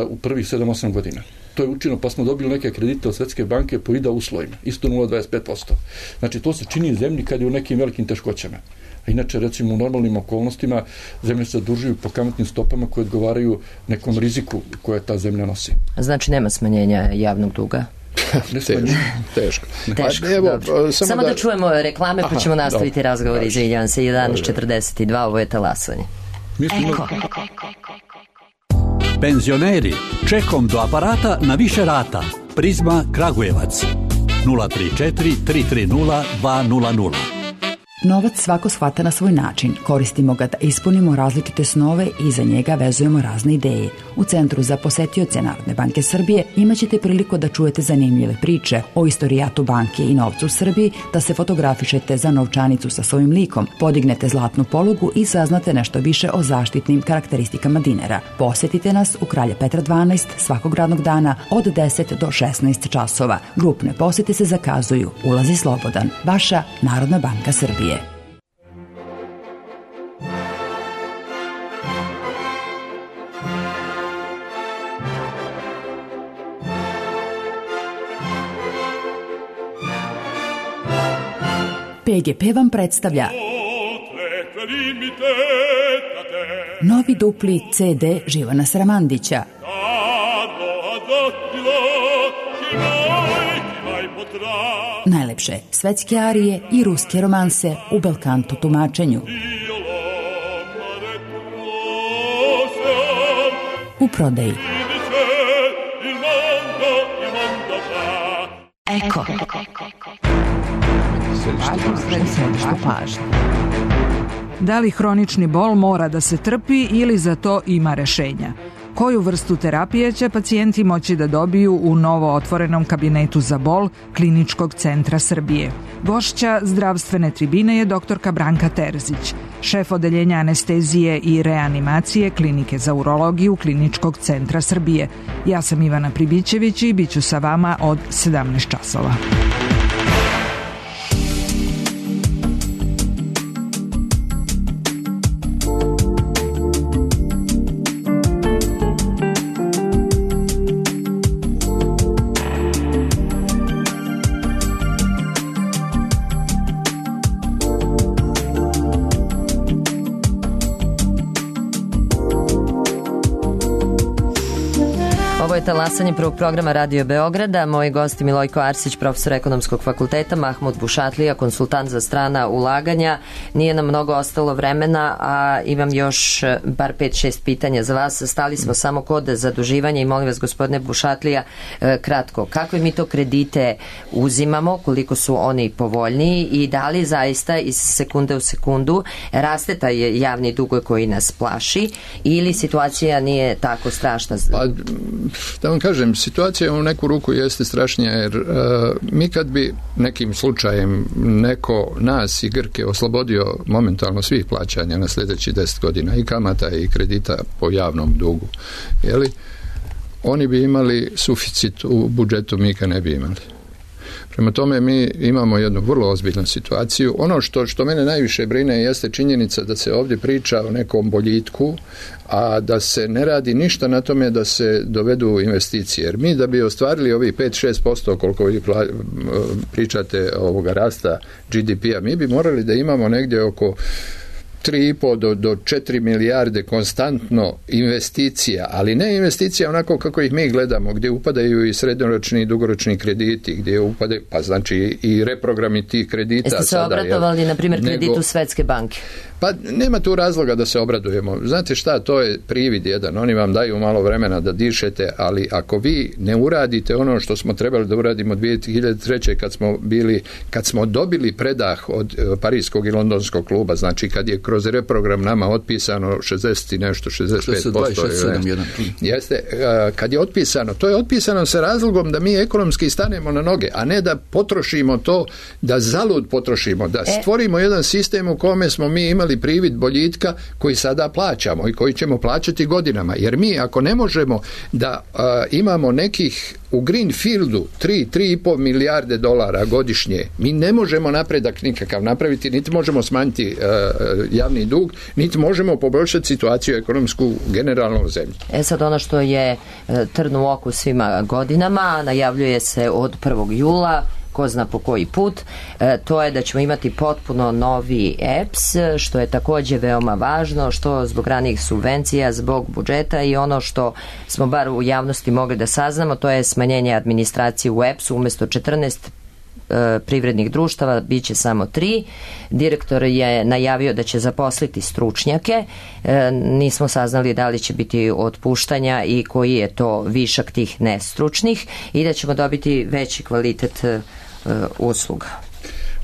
u prvih 7-8 godina. To je učinjeno, pa smo dobili neke kredite od Svetske banke po IDA uslovima, isto 0,25%. Znači, to se čini zemlji kad je u nekim velikim teškoćama. A inače, recimo, u normalnim okolnostima zemlje se zadužuju po kamatnim stopama koje odgovaraju nekom riziku koje ta zemlja nosi.
Znači, nema smanjenja javnog duga?
Teško.
Samo da čujemo reklame, pa ćemo nastaviti razgovor. Izvinjavam se, 11:42, ovo je talasanje.
Penzioneri, čekom do aparata na više rata. Prizma Kragujevac 034 330 200.
Novac svako shvata na svoj način. Koristimo ga da ispunimo različite snove i za njega vezujemo razne ideje. U Centru za posetioce Narodne banke Srbije imaćete priliku da čujete zanimljive priče o istorijatu banke i novcu u Srbiji, da se fotografišete za novčanicu sa svojim likom, podignete zlatnu polugu i saznate nešto više o zaštitnim karakteristikama dinara. Posetite nas u Kralja Petra 12 svakog radnog dana od 10 do 16 časova. Grupne posete se zakazuju. Ulaz je slobodan. Vaša Narodna banka Srbije. PGP vam predstavlja novi dupli CD Živana Sramandića. Najlepše svetske arije i ruske romanse u belkanto tumačenju. U prodaji. Eko.
Da li hronični bol mora da se trpi ili za to ima rešenja? Koju vrstu terapije će pacijenti moći da dobiju u novo otvorenom kabinetu za bol Kliničkog centra Srbije? Gošća zdravstvene tribine je doktorka Branka Terzić, šef odeljenja anestezije i reanimacije Klinike za urologiju Kliničkog centra Srbije. Ja sam Ivana Pribićević i bit ću sa vama od 17 časova.
Talasanje prvog programa Radio Beograda. Moji gosti Milojko Arsić, profesor ekonomskog fakulteta, Mahmud Bušatlija, konsultant za strana ulaganja. Nije nam mnogo ostalo vremena, a imam još bar 5-6 pitanja za vas. Stali smo samo kod zaduživanja i molim vas, gospodine Bušatlija, kratko, kakve mi to kredite uzimamo, koliko su oni povoljniji i da li zaista iz sekunde u sekundu raste taj javni dug koji nas plaši ili situacija nije tako strašna?
Da vam kažem, situacija u neku ruku jeste strašnija, jer mi kad bi nekim slučajem neko nas i Grke oslobodio momentalno svih plaćanja na sljedeći 10 godina i kamata i kredita po javnom dugu, jeli, oni bi imali suficit u budžetu, mi ga ne bi imali. Prema tome mi imamo jednu vrlo ozbiljnu situaciju. Ono što mene najviše brine jeste činjenica da se ovdje priča o nekom boljitku, a da se ne radi ništa na tome da se dovedu investicije. Jer mi da bi ostvarili ovih 5-6% koliko vi pričate ovoga rasta GDP-a, mi bi morali da imamo negdje oko 3,5 do 4 milijarde konstantno investicija, ali ne investicija onako kako ih mi gledamo, gdje upadaju i srednjoročni i dugoročni krediti, gdje upadaju, pa znači i reprogrami tih kredita.
Jeste se obratovali, na primjer, kreditu Svetske banke?
Pa nema tu razloga da se obradujemo. Znate šta, to je privid jedan. Oni vam daju malo vremena da dišete, ali ako vi ne uradite ono što smo trebali da uradimo 2003. kad smo dobili predah od Parijskog i Londonskog kluba, znači kad je kroz reprogram nama otpisano 60 i nešto, 65%. Jeste, kad je otpisano, to je otpisano sa razlogom da mi ekonomski stanemo na noge, a ne da potrošimo to, da zalud potrošimo, da stvorimo jedan sistem u kome smo mi imali privid boljitka koji sada plaćamo i koji ćemo plaćati godinama. Jer mi ako ne možemo da imamo nekih u Greenfieldu 3,5 milijarde dolara godišnje, mi ne možemo napredak nikakav napraviti, niti možemo smanjiti javni dug, niti možemo poboljšati situaciju ekonomsku generalno u zemlji.
Sad ono što je trn u oku svima godinama, najavljuje se od 1. jula, ko zna po koji put, to je da ćemo imati potpuno novi EPS, što je također veoma važno, što zbog ranijih subvencija, zbog budžeta i ono što smo bar u javnosti mogli da saznamo, to je smanjenje administracije u EPS-u, umjesto 14 privrednih društava bit će samo 3. Direktor je najavio da će zaposliti stručnjake, nismo saznali da li će biti otpuštanja i koji je to višak tih nestručnih i da ćemo dobiti veći kvalitet usluga.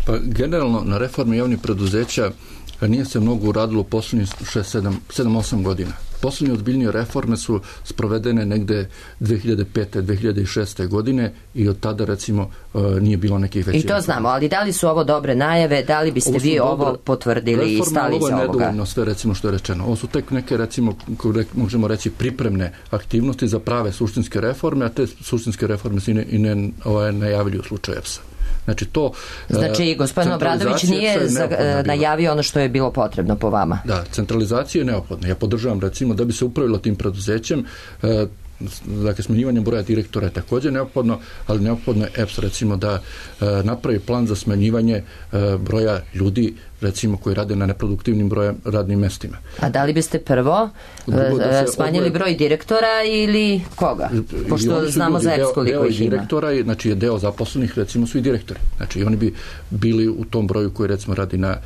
Pa generalno na reforme javnih preduzeća nije se mnogo uradilo u poslednjih 7-8 godina. Poslednje ozbiljnije reforme su sprovedene negde 2005. 2006. godine i od tada recimo nije bilo nekih većih.
I to znamo, ali da li su ovo dobre najave, da li biste vi ovo potvrdili i stali za ovoga?
Ovo je nedovoljno sve recimo što je rečeno. Ovo su tek neke recimo, možemo reći, pripremne aktivnosti za prave suštinske reforme, a te suštinske reforme se i ne najavljuju u slučaju EPS-a.
Znači, gospodin Obradović nije najavio ono što je bilo potrebno po vama.
Da, centralizacija je neophodna. Ja podržavam recimo da bi se upravilo tim preduzećem, dakle smanjivanje broja direktora je također neophodno, ali neophodno je EPS recimo da napravi plan za smanjivanje broja ljudi recimo koji rade na neproduktivnim radnim mestima.
A da li biste prvo smanjili broj direktora ili koga? Pošto znamo za EPS koliko ih ima.
Direktora, znači je deo zaposlenih recimo su i direktori. Znači i oni bi bili u tom broju koji recimo radi na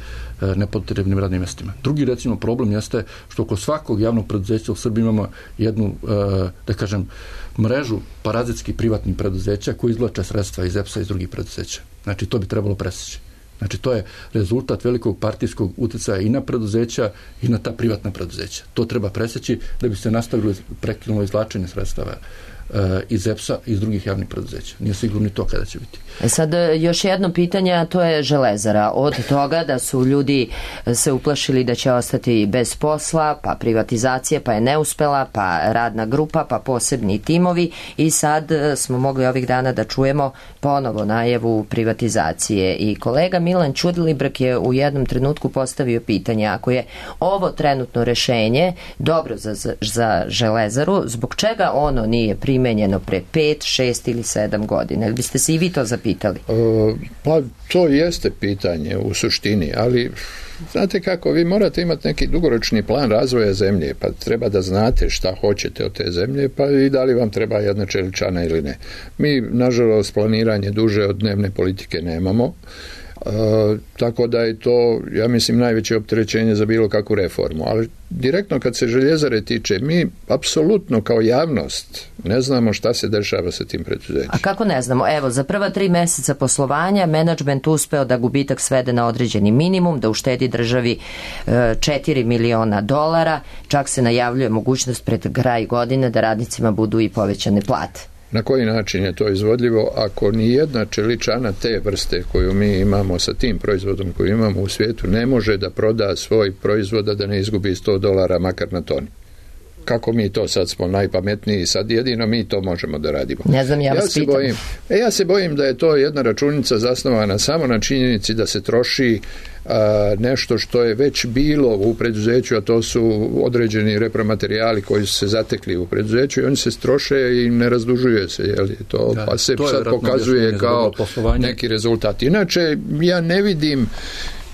nepotrebnim radnim mestima. Drugi recimo problem jeste što oko svakog javnog preduzeća u Srbiji imamo jednu, da kažem, mrežu parazitskih privatnih preduzeća koji izvlače sredstva iz EPS-a i iz drugih preduzeća. Znači to bi trebalo preseći. Znači to je rezultat velikog partijskog uticaja i na preduzeća i na ta privatna preduzeća. To treba preseći da bi se nastavilo prekinulo izvlačenje sredstava iz EPS-a i iz drugih javnih preduzeća. Nije sigurno ni to kada će biti.
Sad još jedno pitanje, a to je Železara. Od toga da su ljudi se uplašili da će ostati bez posla, pa privatizacija, pa je neuspela, pa radna grupa, pa posebni timovi i sad smo mogli ovih dana da čujemo ponovo najavu privatizacije. I kolega Milan Ćudilibrk je u jednom trenutku postavio pitanje, ako je ovo trenutno rešenje dobro za Železaru, zbog čega ono nije primenjeno pre 5, 6 ili 7 godina? Ili biste se i vi to zapitali?
Pa to jeste pitanje u suštini, ali znate kako, vi morate imati neki dugoročni plan razvoja zemlje, pa treba da znate šta hoćete od te zemlje, pa i da li vam treba jedna čeličana ili ne. Mi, nažalost, planiranje duže od dnevne politike nemamo, tako da je to, ja mislim, najveće opterećenje za bilo kakvu reformu. Ali direktno kad se Željezare tiče, mi apsolutno kao javnost ne znamo šta se dešava sa tim preduzećem.
A kako ne znamo? Evo, za prva 3 meseca poslovanja menadžment uspeo da gubitak svede na određeni minimum, da uštedi državi $4 miliona, čak se najavljuje mogućnost pred kraj godine da radnicima budu i povećane plate.
Na koji način je to izvodljivo ako ni jedna čeličana te vrste koju mi imamo sa tim proizvodom koju imamo u svijetu ne može da proda svoj proizvod da ne izgubi $100 makar na toni? Kako mi to sad smo najpametniji, sad jedino mi to možemo da radimo.
Ne znam,
ja se bojim da je to jedna računica zasnovana samo na činjenici da se troši nešto što je već bilo u preduzeću, a to su određeni repromaterijali koji su se zatekli u preduzeću i oni se troše i ne razdužuje se, jel? Pa se sad pokazuje kao neki rezultat. Inače, ja ne vidim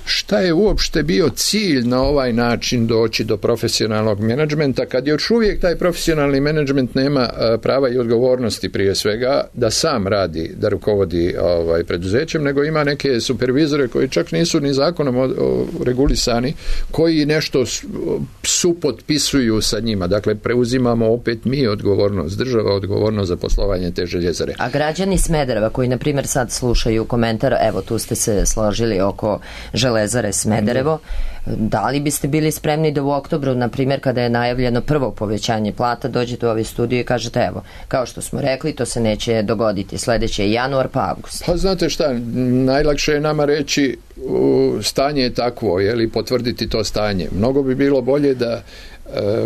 šta je uopšte bio cilj na ovaj način doći do profesionalnog menadžmenta kad još uvijek taj profesionalni menadžment nema prava i odgovornosti prije svega da sam radi, da rukovodi preduzećem, nego ima neke supervizore koji čak nisu ni zakonom regulisani, koji nešto supotpisuju sa njima. Dakle, preuzimamo opet mi odgovornost, država odgovornost za poslovanje te Željezare.
A građani Smedereva koji, na primjer, sad slušaju komentar, evo tu ste se složili oko Železare Smederevo, da li biste bili spremni da u oktobru, na primjer, kada je najavljeno prvo povećanje plata, dođete u ovaj studio i kažete, evo, kao što smo rekli, to se neće dogoditi, sledeće je januar pa avgust.
Pa znate šta, najlakše je nama reći stanje je takvo, jeli, potvrditi to stanje. Mnogo bi bilo bolje da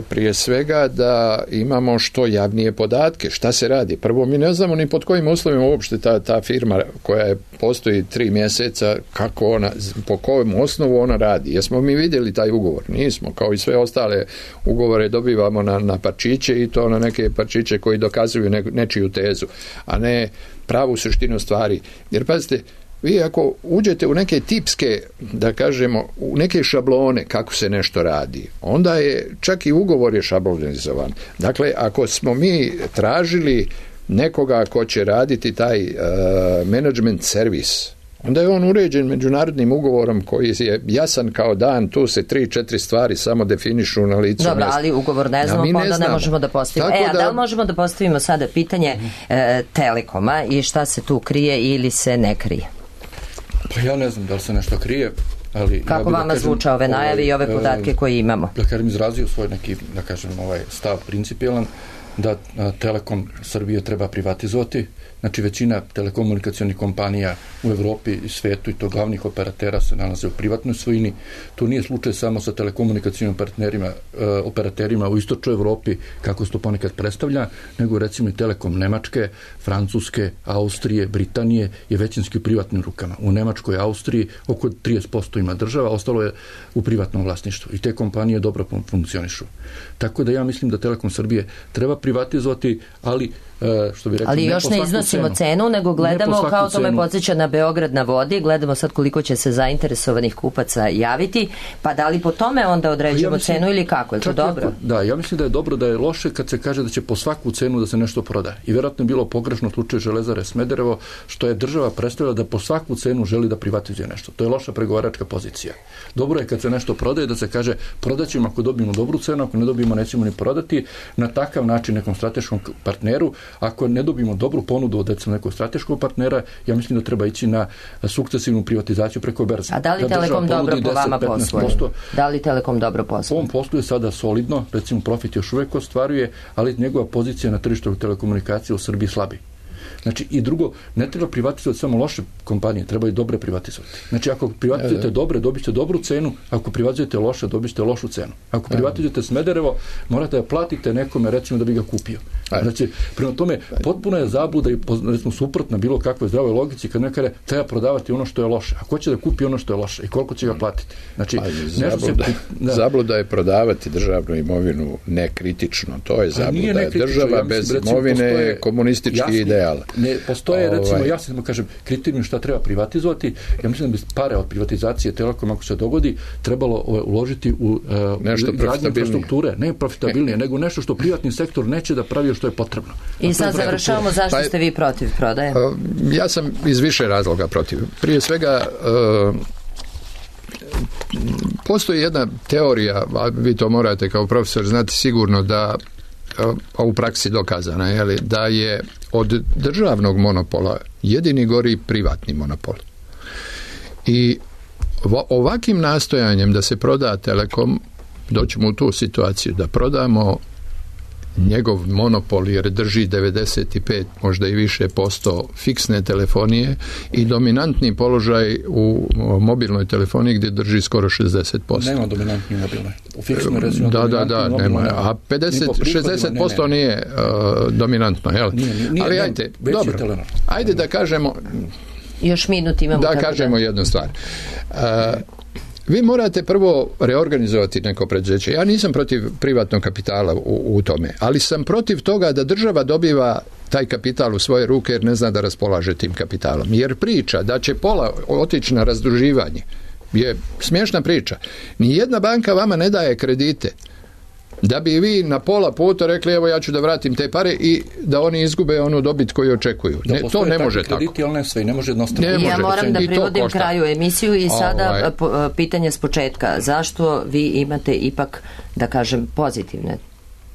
prije svega da imamo što javnije podatke, šta se radi. Prvo, mi ne znamo ni pod kojim uslovima uopšte ta firma koja postoji 3 mjeseca, kako ona, po kojem osnovu ona radi. Jesmo mi vidjeli taj ugovor? Nismo. Kao i sve ostale ugovore dobivamo na parčiće i to na neke parčiće koji dokazuju nečiju tezu, a ne pravu suštinu stvari. Jer pazite, vi ako uđete u neke tipske, da kažemo, u neke šablone kako se nešto radi, onda je čak i ugovor je šablonizovan. Dakle, ako smo mi tražili nekoga ko će raditi taj management servis, onda je on uređen međunarodnim ugovorom koji je jasan kao dan, tu se 3-4 stvari samo definišu na licu mjesta.
Dobro, ali ugovor ne znamo, pa onda ne možemo da postavimo. Da li možemo da postavimo sada pitanje Telekoma i šta se tu krije ili se ne krije?
Pa ja ne znam da li se nešto krije, ali
kako vama zvuča ove najave i ove podatke koje imamo?
Da kažem, izrazio svoj neki, da kažem, stav principijelan da Telekom Srbije treba privatizovati. Znači, većina telekomunikacionih kompanija u Evropi i svetu i to glavnih operatera se nalaze u privatnoj svojini. To nije slučaj samo sa telekomunikacionim operaterima u istočnoj Evropi, kako se to ponekad predstavlja, nego recimo i Telekom Nemačke, Francuske, Austrije, Britanije je većinski u privatnim rukama. U Nemačkoj i Austriji oko 30% ima država, ostalo je u privatnom vlasništvu. I te kompanije dobro funkcionišu. Tako da ja mislim da Telekom Srbije treba privatizovati, ali što bi rekli,
ali još ne iznosimo cenu, nego gledamo, kao to me podsjeća na Beograd na vodi, gledamo sad koliko će se zainteresovanih kupaca javiti, pa da li po tome onda određujemo cenu ili kako, je to dobro?
Da, ja mislim da je dobro, da je loše kad se kaže da će po svaku cenu da se nešto proda. I vjerojatno je bilo pogrešno slučaj Železare Smederevo, što je država predstavila da po svaku cenu želi da privatizuje nešto. To je loša pregovaračka pozicija. Dobro je kad se nešto prodaje da se kaže prodaćemo ako dobijemo dobru cenu, ako ne dobijemo nećemo ni prodati, na takav način nekom strateškom partneru. Ako ne dobijemo dobru ponudu od nekog strateškog partnera, ja mislim da treba ići na sukcesivnu privatizaciju preko berze.
A da li Telekom dobro po vama posluje? Da li Telekom dobro posluje?
On posluje sada solidno, recimo profit još uvijek ostvaruje, ali njegova pozicija na tržištu telekomunikacije u Srbiji slabi. Znači, i drugo, ne treba privatizovati samo loše kompanije, treba i dobre privatizovati. Znači, ako privatizujete dobre, dobit ćete dobru cenu, ako privatizujete loše, dobit ćete lošu cenu. Ako privatizujete Smederevo, morate da platite nekome, recimo, da bi ga kupio. Znači, prema tome, potpuno je zabluda i, recimo, suprotna bilo kakvoj zdravoj logici kad nekada treba prodavati ono što je loše. A ko će da kupi ono što je loše i koliko će ga platiti? Znači,
zabluda je prodavati državnu imovinu nekritično. To je zabluda. Država bez imovine je komunistički ideal.
Ne postoje, recimo, ja samo kažem, kriterijum šta treba privatizovati. Ja mislim da bi pare od privatizacije Telekoma, ako se dogodi, trebalo uložiti u izgradnju infrastrukture. Ne profitabilnije, nego nešto što privatni sektor neće da pravi što je potrebno.
I sad završavamo, zašto ste vi protiv prodaje?
Ja sam iz više razloga protiv. Prije svega, postoji jedna teorija, a vi to morate kao profesor znati sigurno, da u praksi dokazana je da je od državnog monopola jedini gori privatni monopol. I ovakvim nastojanjem da se proda Telekom doćemo u tu situaciju da prodamo njegov monopol, jer drži 95, možda i više posto fiksne telefonije i dominantni položaj u mobilnoj telefoniji gdje drži skoro 60%.
Nema dominantni mobilnoj. U fiksnoj recimo
da, nema. A 60% nije dominantno, jel?
Nije,
ali ajde, dobro. Ajde da kažemo...
Još minut imamo.
Da kažemo jednu stvar. Vi morate prvo reorganizovati neko preduzeće. Ja nisam protiv privatnog kapitala u tome, ali sam protiv toga da država dobiva taj kapital u svoje ruke jer ne zna da raspolaže tim kapitalom. Jer priča da će pola otići na razduživanje je smiješna priča. Nijedna banka vama ne daje kredite da bi vi na pola puta rekli evo ja ću da vratim te pare i da oni izgube onu dobit koju očekuju. To ne može tako.
Krediti, ali ne sve, ne može jednostavno.
Ja moram da privodim kraju emisiju i sada pitanje s početka. Zašto vi imate ipak, da kažem, pozitivne,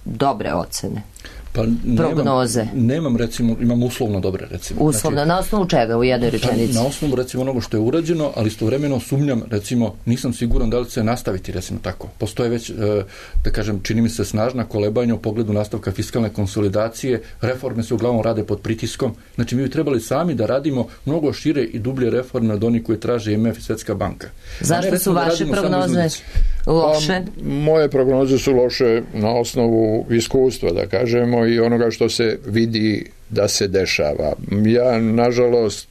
dobre ocene?
Pa
prognoze.
Nemam recimo, imam uslovno dobre recimo.
Uslovno, znači, na osnovu čega u jednoj rečenici?
Na osnovu recimo onoga što je urađeno, ali istovremeno sumnjam, recimo, nisam siguran da li će nastaviti recimo tako. Postoje već, da kažem, čini mi se snažna kolebanja u pogledu nastavka fiskalne konsolidacije, reforme se uglavnom rade pod pritiskom, znači mi bi trebali sami da radimo mnogo šire i dublje reforme od onih koje traže IMF i Svjetska banka.
Zašto su vaše prognoze loše?
Moje prognoze su loše na osnovu iskustva, da kažemo, i onoga što se vidi da se dešava. Ja, nažalost,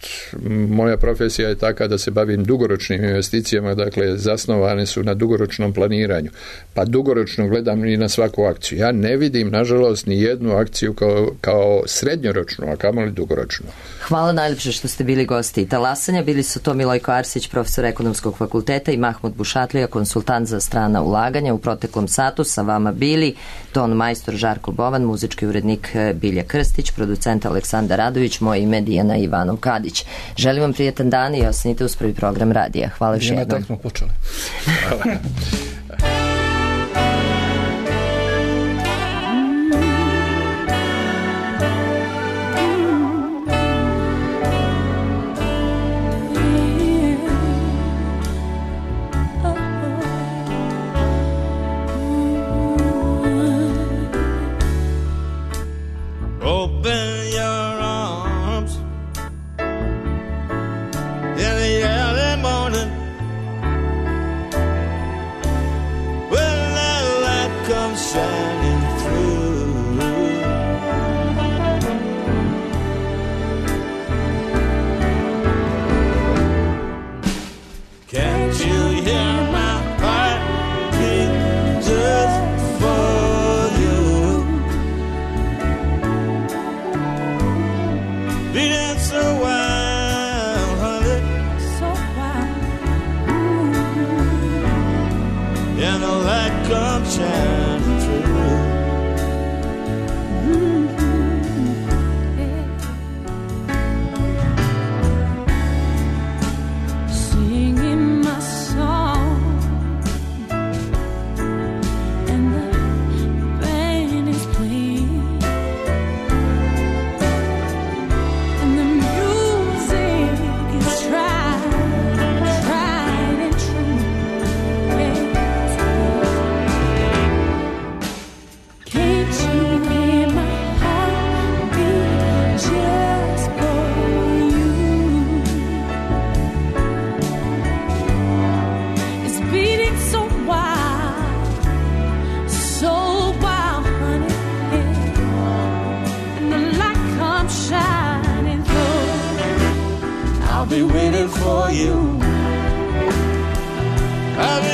moja profesija je taka da se bavim dugoročnim investicijama, dakle, zasnovane su na dugoročnom planiranju. Pa dugoročno gledam i na svaku akciju. Ja ne vidim, nažalost, ni jednu akciju kao srednjoročnu, a kamoli dugoročnu.
Hvala najljepše što ste bili gosti Talasanja. Bili su to Milojko Arsić, profesor Ekonomskog fakulteta, i Mahmud Bušatlija, konsultant za strana ulaganja. U proteklom satu sa vama bili ton majstor Žarko Bovan, muzički urednik Bilja Krstić, producent Aleksandar Radović, moje ime Dijana Ivanov Kadić. Želim vam prijetan dan i ostanite uz prvi program radija. Hvala još jednom.
Tako smo počeli. Hvala.
be waiting for you. I'll be